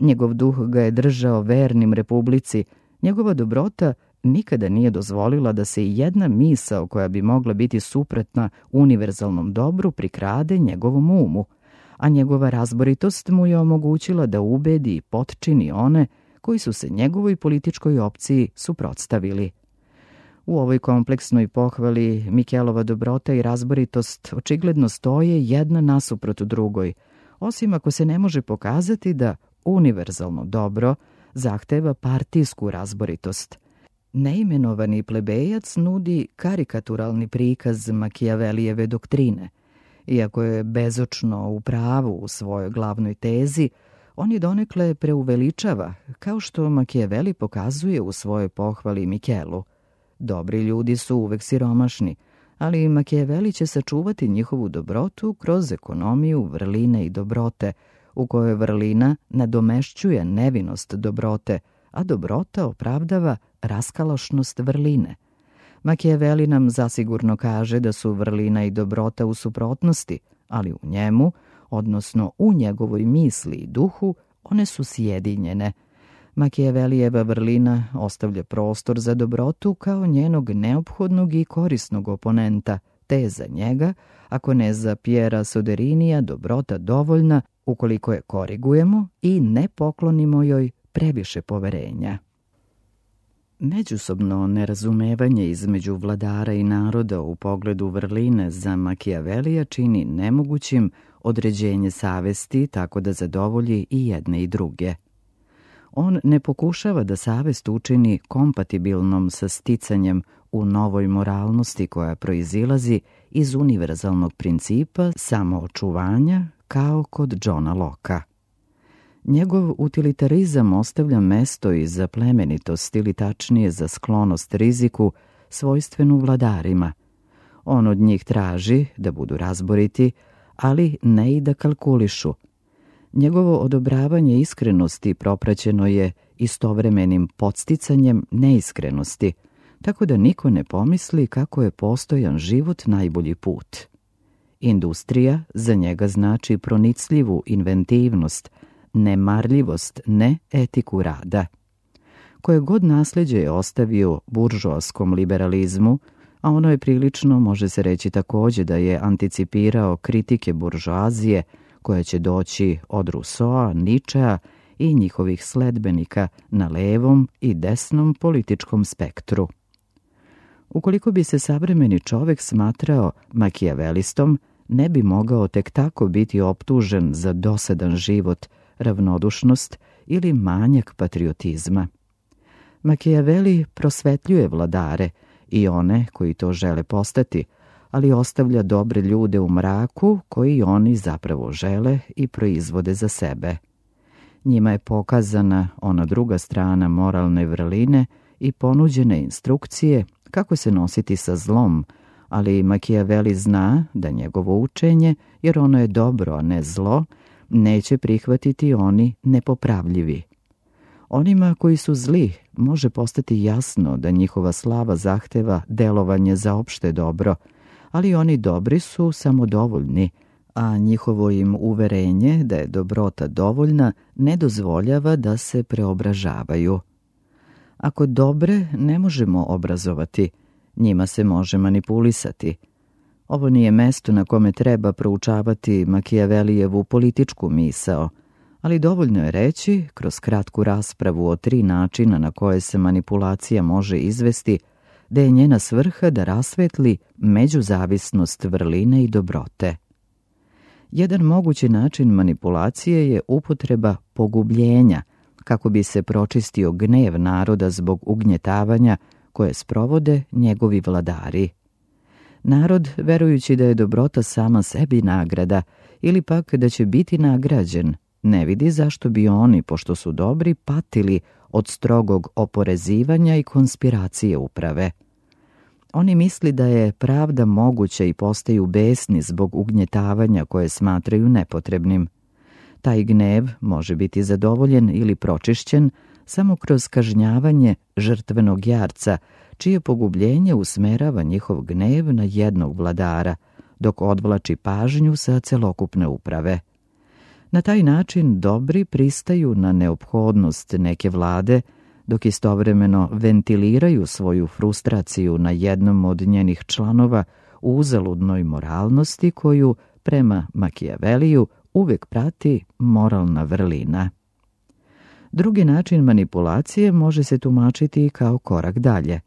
Njegov duh ga je držao vernim republici, njegova dobrota nikada nije dozvolila da se i jedna misao koja bi mogla biti suprotna univerzalnom dobru prikrade njegovom umu, a njegova razboritost mu je omogućila da ubedi i potčini one koji su se njegovoj političkoj opciji suprotstavili. U ovoj kompleksnoj pohvali Michelova dobrota i razboritost očigledno stoje jedna nasuprot drugoj, osim ako se ne može pokazati da univerzalno dobro zahteva partijsku razboritost. Neimenovani plebejac nudi karikaturalni prikaz Makijavelijeve doktrine. Iako je bezočno u pravu u svojoj glavnoj tezi, on je donekle preuveličava, kao što Makijaveli pokazuje u svojoj pohvali Michelu. Dobri ljudi su uvek siromašni, ali Makijaveli će sačuvati njihovu dobrotu kroz ekonomiju vrline i dobrote, u kojoj vrlina nadomešćuje nevinost dobrote, a dobrota opravdava raskalašnost vrline. Makijaveli nam zasigurno kaže da su vrlina i dobrota u suprotnosti, ali u njemu, odnosno u njegovoj misli i duhu, one su sjedinjene. Makijavelijeva vrlina ostavlja prostor za dobrotu kao njenog neophodnog i korisnog oponenta, te je za njega, ako ne za Pjera Soderinija, dobrota dovoljna ukoliko je korigujemo i ne poklonimo joj previše poverenja. Međusobno nerazumevanje između vladara i naroda u pogledu vrline za Makijavelija čini nemogućim određenje savesti tako da zadovolji i jedne i druge. On ne pokušava da savest učini kompatibilnom sa sticanjem u novoj moralnosti koja proizilazi iz univerzalnog principa samoočuvanja kao kod Johna Locke-a. Njegov utilitarizam ostavlja mesto i za plemenitost ili tačnije za sklonost riziku svojstvenu vladarima. On od njih traži da budu razboriti, ali ne i da kalkulišu. Njegovo odobravanje iskrenosti propraćeno je istovremenim podsticanjem neiskrenosti, tako da niko ne pomisli kako je postojan život najbolji put. Industrija za njega znači pronicljivu inventivnost, nemarljivost, ne etiku rada. Koje god nasljeđe je ostavio buržoaskom liberalizmu, a ono je prilično, može se reći takođe da je anticipirao kritike buržoazije koja će doći od Rousseaua, Nietzschea i njihovih sledbenika na levom i desnom političkom spektru. Ukoliko bi se savremeni čovek smatrao makijavelistom, ne bi mogao tek tako biti optužen za dosadan život, ravnodušnost ili manjak patriotizma. Makijaveli prosvetljuje vladare i one koji to žele postati, ali ostavlja dobre ljude u mraku koji oni zapravo žele i proizvode za sebe. Njima je pokazana ona druga strana moralne vrline i ponuđene instrukcije kako se nositi sa zlom, ali Makijaveli zna da njegovo učenje, jer ono je dobro, a ne zlo, neće prihvatiti oni nepopravljivi. Onima koji su zli može postati jasno da njihova slava zahteva delovanje za opšte dobro, ali oni dobri su samodovoljni, a njihovo im uverenje da je dobrota dovoljna ne dozvoljava da se preobražavaju. Ako dobre ne možemo obrazovati, njima se može manipulisati. Ovo nije mesto na kome treba proučavati Makijavelijevu političku misao, ali dovoljno je reći, kroz kratku raspravu o tri načina na koje se manipulacija može izvesti, da je njena svrha da rasvetli međuzavisnost vrline i dobrote. Jedan mogući način manipulacije je upotreba pogubljenja, kako bi se pročistio gnev naroda zbog ugnjetavanja koje sprovode njegovi vladari. Narod, verujući da je dobrota sama sebi nagrada ili pak da će biti nagrađen, ne vidi zašto bi oni, pošto su dobri, patili od strogog oporezivanja i konspiracije uprave. Oni misli da je pravda moguća i postaju besni zbog ugnjetavanja koje smatraju nepotrebnim. Taj gnev može biti zadovoljen ili pročišćen samo kroz kažnjavanje žrtvenog jarca, čije pogubljenje usmerava njihov gnev na jednog vladara, dok odvlači pažnju sa celokupne uprave. Na taj način dobri pristaju na neophodnost neke vlade, dok istovremeno ventiliraju svoju frustraciju na jednom od njenih članova u uzaludnoj moralnosti koju, prema Makijaveliju, uvek prati moralna vrlina. Drugi način manipulacije može se tumačiti kao korak dalje.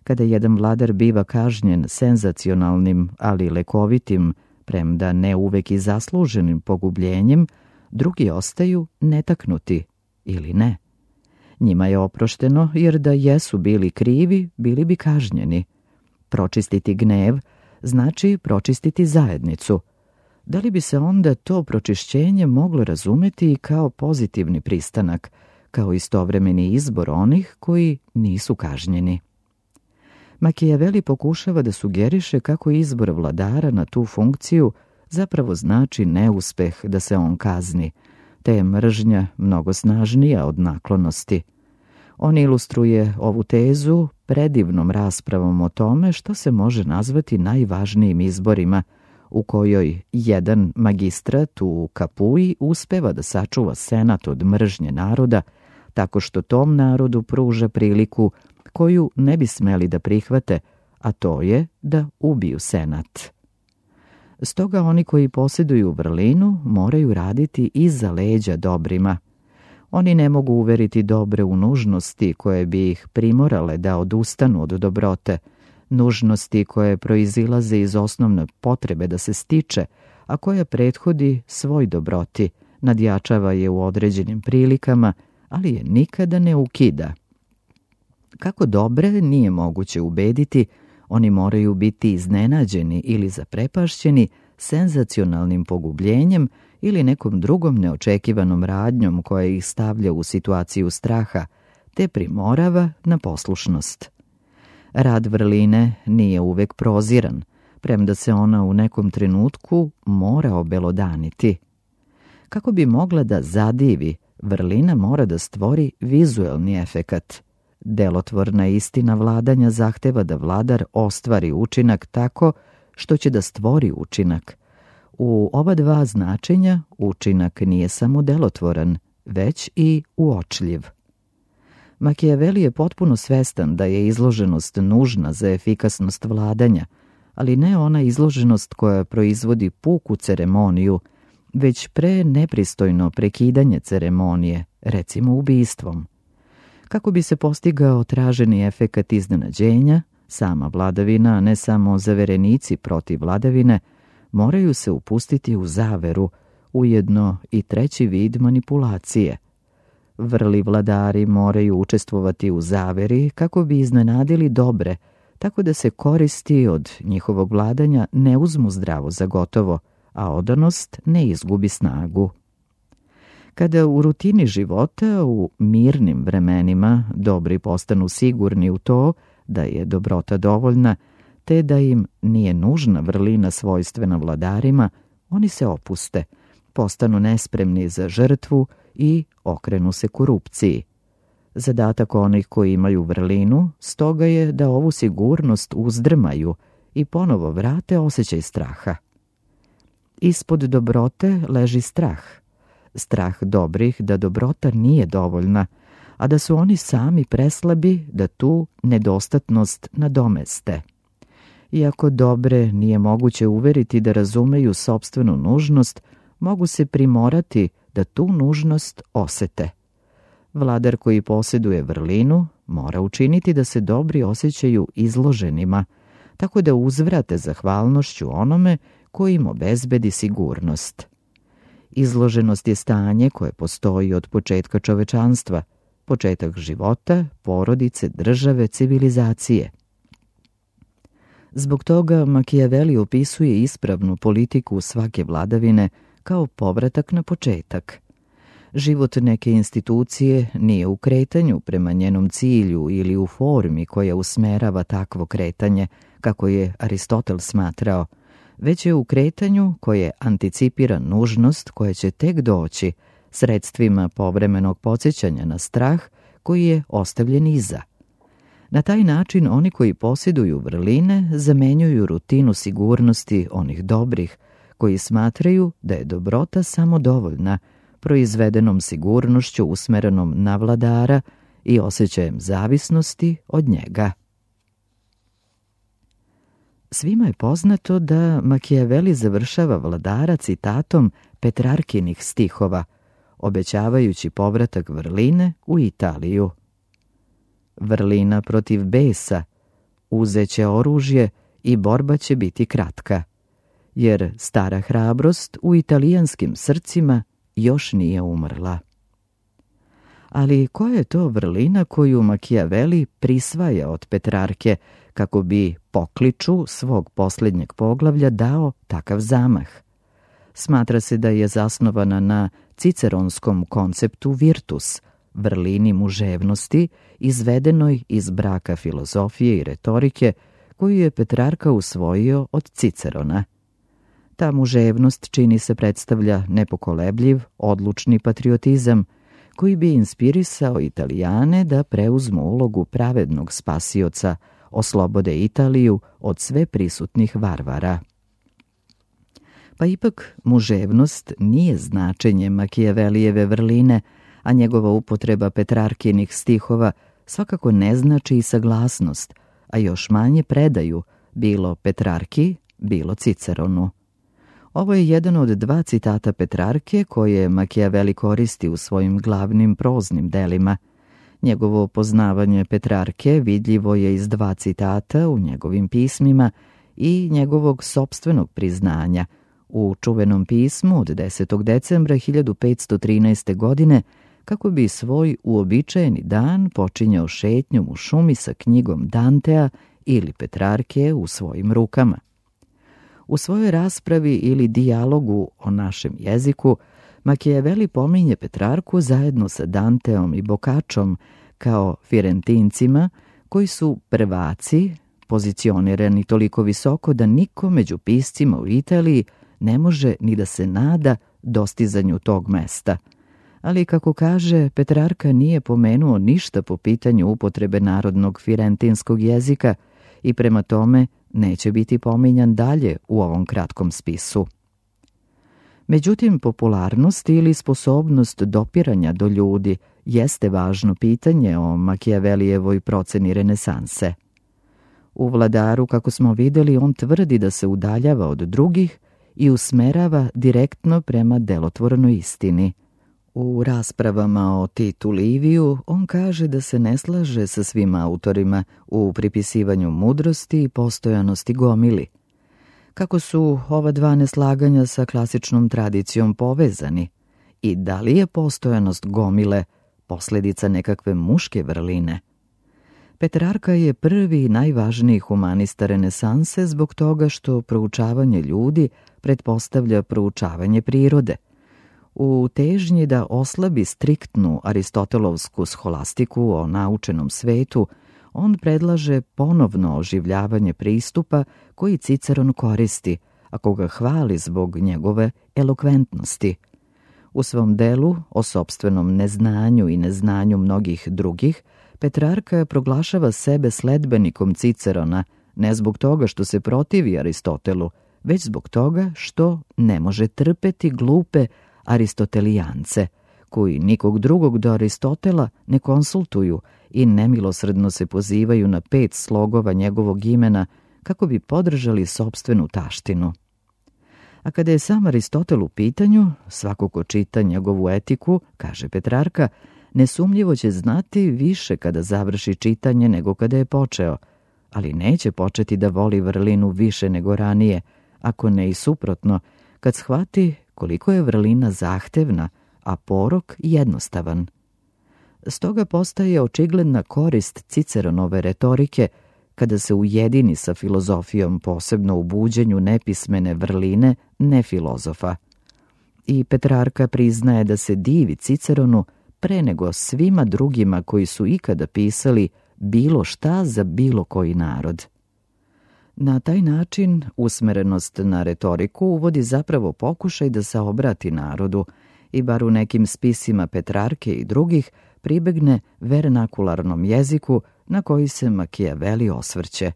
Kada jedan vladar biva kažnjen senzacionalnim, ali lekovitim, premda ne uvek i zasluženim pogubljenjem, drugi ostaju netaknuti ili ne. Njima je oprošteno jer da jesu bili krivi, bili bi kažnjeni. Pročistiti gnev znači pročistiti zajednicu. Da li bi se onda to pročišćenje moglo razumeti i kao pozitivni pristanak, kao istovremeni izbor onih koji nisu kažnjeni? Makijaveli pokušava da sugeriše kako izbor vladara na tu funkciju zapravo znači neuspeh da se on kazni, te je mržnja mnogo snažnija od naklonosti. On ilustruje ovu tezu predivnom raspravom o tome što se može nazvati najvažnijim izborima, u kojoj jedan magistrat u Kapuji uspeva da sačuva senat od mržnje naroda, tako što tom narodu pruža priliku koju ne bi smeli da prihvate, a to je da ubiju senat. Stoga oni koji posjeduju vrlinu moraju raditi iza leđa dobrima. Oni ne mogu uveriti dobre u nužnosti koje bi ih primorale da odustanu od dobrote, nužnosti koje proizilaze iz osnovne potrebe da se stiče, a koja prethodi svoj dobroti, nadjačava je u određenim prilikama, ali je nikada ne ukida. Kako dobre nije moguće ubediti, oni moraju biti iznenađeni ili zaprepašćeni senzacionalnim pogubljenjem ili nekom drugom neočekivanom radnjom koja ih stavlja u situaciju straha, te primorava na poslušnost. Rad vrline nije uvek proziran, premda se ona u nekom trenutku mora obelodaniti. Kako bi mogla da zadivi, vrlina mora da stvori vizuelni efekat. Delotvorna istina vladanja zahteva da vladar ostvari učinak tako što će da stvori učinak. U ova dva značenja učinak nije samo delotvoran, već i uočljiv. Makijaveli je potpuno svestan da je izloženost nužna za efikasnost vladanja, ali ne ona izloženost koja proizvodi puku ceremoniju, već pre nepristojno prekidanje ceremonije, recimo ubistvom. Kako bi se postigao traženi efekat iznenađenja, sama vladavina, a ne samo zaverenici protiv vladavine, moraju se upustiti u zaveru, ujedno i treći vid manipulacije. Vrli vladari moraju učestvovati u zaveri kako bi iznenadili dobre, tako da se koristi od njihovog vladanja ne uzmu zdravo za gotovo, a odanost ne izgubi snagu. Kada u rutini života, u mirnim vremenima, dobri postanu sigurni u to da je dobrota dovoljna, te da im nije nužna vrlina svojstvena vladarima, oni se opuste, postanu nespremni za žrtvu i okrenu se korupciji. Zadatak onih koji imaju vrlinu stoga je da ovu sigurnost uzdrmaju i ponovo vrate osjećaj straha. Ispod dobrote leži strah. Strah dobrih da dobrota nije dovoljna, a da su oni sami preslabi da tu nedostatnost nadomeste. Iako dobre nije moguće uveriti da razumeju sopstvenu nužnost, mogu se primorati da tu nužnost osete. Vladar koji posjeduje vrlinu mora učiniti da se dobri osjećaju izloženima, tako da uzvrate zahvalnošću onome koji im obezbedi sigurnost. Izloženost je stanje koje postoji od početka čovečanstva, početak života, porodice, države, civilizacije. Zbog toga Machiavelli opisuje ispravnu politiku svake vladavine kao povratak na početak. Život neke institucije nije u kretanju prema njenom cilju ili u formi koja usmerava takvo kretanje, kako je Aristotel smatrao, već je u kretanju koje anticipira nužnost koja će tek doći sredstvima povremenog podsjećanja na strah koji je ostavljen iza. Na taj način oni koji posjeduju vrline zamenjuju rutinu sigurnosti onih dobrih, koji smatraju da je dobrota samo dovoljna, proizvedenom sigurnošću usmerenom na vladara i osjećajem zavisnosti od njega. Svima je poznato da Machiavelli završava vladara citatom Petrarkinih stihova, obećavajući povratak vrline u Italiju. Vrlina protiv besa, uzeće oružje i borba će biti kratka, jer stara hrabrost u italijanskim srcima još nije umrla. Ali koja je to vrlina koju Machiavelli prisvaja od Petrarke kako bi pokliču svog posljednjeg poglavlja dao takav zamah? Smatra se da je zasnovana na ciceronskom konceptu virtus, vrlini muževnosti, izvedenoj iz braka filozofije i retorike, koju je Petrarka usvojio od Cicerona. Ta muževnost čini se predstavlja nepokolebljiv, odlučni patriotizam, koji bi inspirisao Italijane da preuzmu ulogu pravednog spasioca, oslobode Italiju od sve prisutnih varvara. Pa ipak muževnost nije značenje Machiavellijeve vrline, a njegova upotreba Petrarkinih stihova svakako ne znači i saglasnost, a još manje predaju, bilo Petrarki, bilo Ciceronu. Ovo je jedan od dva citata Petrarke koje Machiavelli koristi u svojim glavnim proznim delima. Njegovo poznavanje Petrarke vidljivo je iz dva citata u njegovim pismima i njegovog sopstvenog priznanja u čuvenom pismu od desetog decembra hiljadu petsto trinaeste. godine, kako bi svoj uobičajeni dan počinjao šetnjom u šumi sa knjigom Dantea ili Petrarke u svojim rukama. U svojoj raspravi ili dijalogu o našem jeziku, Machiavelli pominje Petrarku zajedno sa Danteom i Boccaccom kao Firentincima, koji su prvaci, pozicionirani toliko visoko da niko među piscima u Italiji ne može ni da se nada dostizanju tog mesta. Ali, kako kaže, Petrarka nije pomenuo ništa po pitanju upotrebe narodnog firentinskog jezika i prema tome neće biti pominjan dalje u ovom kratkom spisu. Međutim, popularnost ili sposobnost dopiranja do ljudi jeste važno pitanje o Machiavellijevoj proceni renesanse. U Vladaru, kako smo vidjeli, on tvrdi da se udaljava od drugih i usmerava direktno prema delotvornoj istini. U raspravama o Titu Liviju on kaže da se ne slaže sa svim autorima u pripisivanju mudrosti i postojanosti gomili. Kako su ova dva neslaganja sa klasičnom tradicijom povezani i da li je postojanost gomile posljedica nekakve muške vrline? Petrarka je prvi i najvažniji humanista renesanse zbog toga što proučavanje ljudi pretpostavlja proučavanje prirode. U težnji da oslabi striktnu aristotelovsku scholastiku o naučenom svetu, on predlaže ponovno oživljavanje pristupa koji Ciceron koristi, a koga hvali zbog njegove elokventnosti. U svom delu o sopstvenom neznanju i neznanju mnogih drugih, Petrarka proglašava sebe sledbenikom Cicerona, ne zbog toga što se protivi Aristotelu, već zbog toga što ne može trpeti glupe aristotelijance, koji nikog drugog do Aristotela ne konsultuju i nemilosrdno se pozivaju na pet slogova njegovog imena kako bi podržali sopstvenu taštinu. A kada je sam Aristotel u pitanju, svako ko čita njegovu etiku, kaže Petrarka, nesumnjivo će znati više kada završi čitanje nego kada je počeo, ali neće početi da voli vrlinu više nego ranije, ako ne i suprotno, kad shvati koliko je vrlina zahtevna, a porok jednostavan. Stoga postaje očigledna korist Ciceronove retorike kada se ujedini sa filozofijom, posebno u buđenju nepismene vrline nefilozofa. I Petrarka priznaje da se divi Ciceronu pre nego svima drugima koji su ikada pisali bilo šta za bilo koji narod. Na taj način usmerenost na retoriku uvodi zapravo pokušaj da se obrati narodu i bar u nekim spisima Petrarke i drugih pribegne vernakularnom jeziku na koji se Makijaveli osvrće.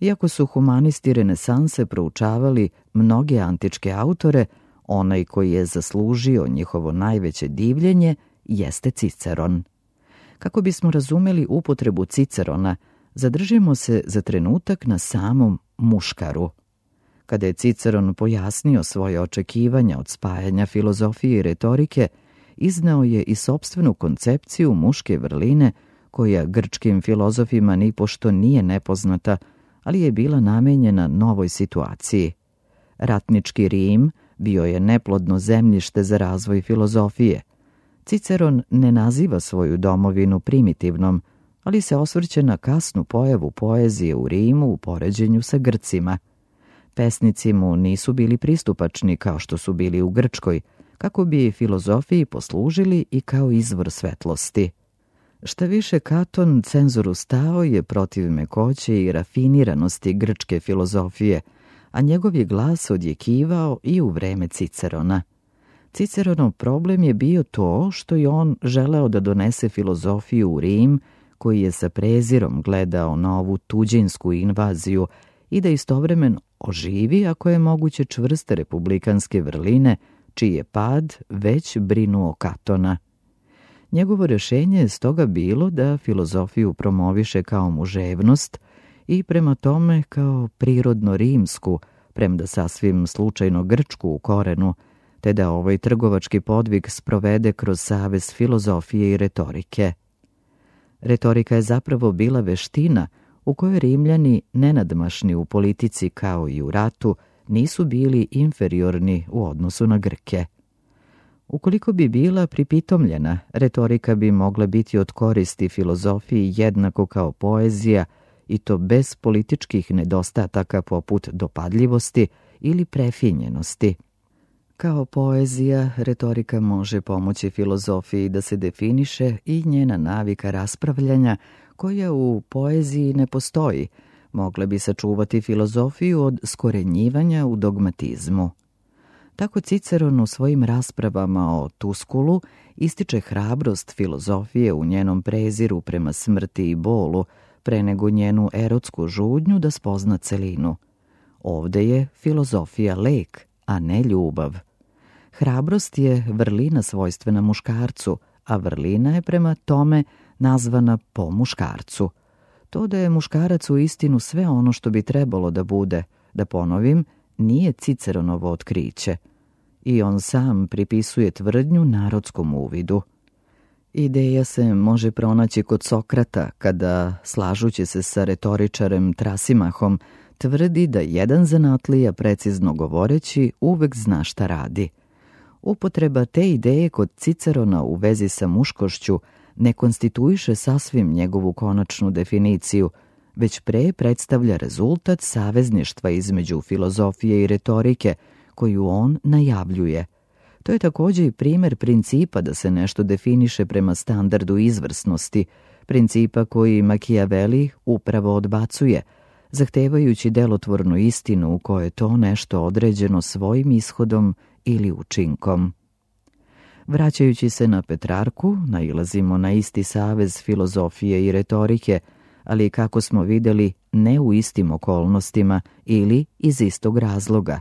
Iako su humanisti renesanse proučavali mnoge antičke autore, onaj koji je zaslužio njihovo najveće divljenje jeste Ciceron. Kako bismo razumeli upotrebu Cicerona, zadržimo se za trenutak na samom muškaru. Kada je Ciceron pojasnio svoje očekivanja od spajanja filozofije i retorike, izneo je i sopstvenu koncepciju muške vrline koja grčkim filozofima nipošto nije nepoznata, ali je bila namenjena novoj situaciji. Ratnički Rim bio je neplodno zemljište za razvoj filozofije. Ciceron ne naziva svoju domovinu primitivnom, ali se osvrće na kasnu pojavu poezije u Rimu u poređenju sa Grcima. Pesnici mu nisu bili pristupačni kao što su bili u Grčkoj, kako bi filozofiji poslužili i kao izvor svetlosti. Šta više, Katon, cenzoru stao je protiv mekoće i rafiniranosti grčke filozofije, a njegov je glas odjekivao i u vreme Cicerona. Ciceronov problem je bio to što je on želeo da donese filozofiju u Rim, koji je sa prezirom gledao na ovu tuđinsku invaziju i da istovremeno oživi, ako je moguće, čvrste republikanske vrline, čiji je pad već brinuo Katona. Njegovo rješenje je stoga bilo da filozofiju promoviše kao muževnost i prema tome kao prirodno rimsku, premda sasvim slučajno grčku u korenu, te da ovaj trgovački podvig sprovede kroz savez filozofije i retorike. Retorika je zapravo bila veština u kojoj Rimljani, nenadmašni u politici kao i u ratu, nisu bili inferiorni u odnosu na Grke. Ukoliko bi bila pripitomljena, retorika bi mogla biti od koristi filozofiji jednako kao poezija, i to bez političkih nedostataka poput dopadljivosti ili prefinjenosti. Kao poezija, retorika može pomoći filozofiji da se definiše i njena navika raspravljanja, koja u poeziji ne postoji, mogla bi sačuvati filozofiju od skorenjivanja u dogmatizmu. Tako Ciceron u svojim raspravama o Tuskulu ističe hrabrost filozofije u njenom preziru prema smrti i bolu, pre nego njenu erotsku žudnju da spozna celinu. Ovde je filozofija lek, a ne ljubav. Hrabrost je vrlina svojstvena muškarcu, a vrlina je prema tome nazvana po muškarcu. To da je muškarac u istinu sve ono što bi trebalo da bude, da ponovim, nije Ciceronovo otkriće. I on sam pripisuje tvrdnju narodskom uvidu. Ideja se može pronaći kod Sokrata kada, slažući se sa retoričarem Trasimahom, tvrdi da jedan zanatlija, precizno govoreći, uvek zna šta radi. Upotreba te ideje kod Cicerona u vezi sa muškošću ne konstituiše sasvim njegovu konačnu definiciju, već pre predstavlja rezultat savezništva između filozofije i retorike, koju on najavljuje. To je također i primjer principa da se nešto definiše prema standardu izvrsnosti, principa koji Makijaveli upravo odbacuje, zahtevajući delotvornu istinu u kojoj je to nešto određeno svojim ishodom ili učinkom. Vraćajući se na Petrarku, nailazimo na isti savez filozofije i retorike, ali kako smo vidjeli, ne u istim okolnostima ili iz istog razloga.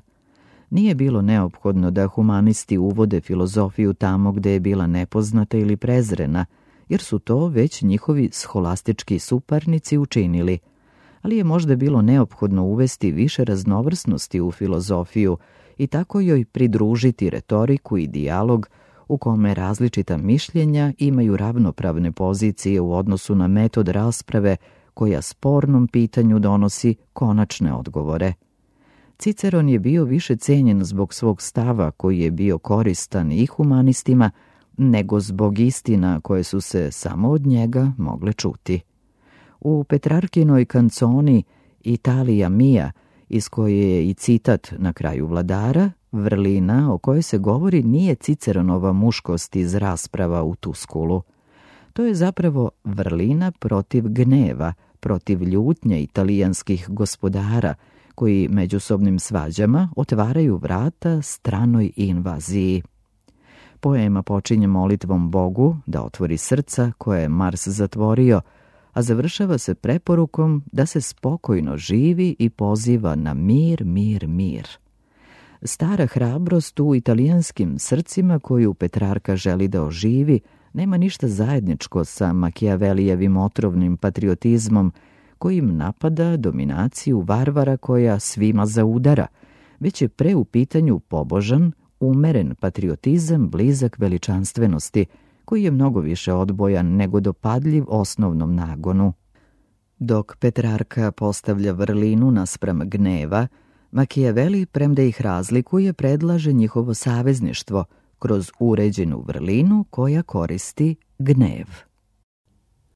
Nije bilo neophodno da humanisti uvode filozofiju tamo gde je bila nepoznata ili prezrena, jer su to već njihovi scholastički suparnici učinili, ali je možda bilo neophodno uvesti više raznovrsnosti u filozofiju i tako joj pridružiti retoriku i dijalog u kome različita mišljenja imaju ravnopravne pozicije u odnosu na metod rasprave koja spornom pitanju donosi konačne odgovore. Ciceron je bio više cenjen zbog svog stava koji je bio koristan i humanistima, nego zbog istina koje su se samo od njega mogle čuti. U Petrarkinoj kanconi Italija mia, iz koje je i citat na kraju Vladara, vrlina o kojoj se govori nije Ciceronova muškost iz rasprava u Tuskulu. To je zapravo vrlina protiv gneva, protiv ljutnje italijanskih gospodara, koji međusobnim svađama otvaraju vrata stranoj invaziji. Poema počinje molitvom Bogu da otvori srca koje je Mars zatvorio, a završava se preporukom da se spokojno živi i poziva na mir, mir, mir. Stara hrabrost u italijanskim srcima koju Petrarka želi da oživi nema ništa zajedničko sa Makijavelijevim otrovnim patriotizmom kojim napada dominaciju varvara koja svima zaudara, već je pre u pitanju pobožan, umeren patriotizam blizak veličanstvenosti, koji je mnogo više odbojan nego dopadljiv osnovnom nagonu. Dok Petrarka postavlja vrlinu naspram gneva, Makijaveli, premda ih razlikuje, predlaže njihovo savezništvo kroz uređenu vrlinu koja koristi gnev.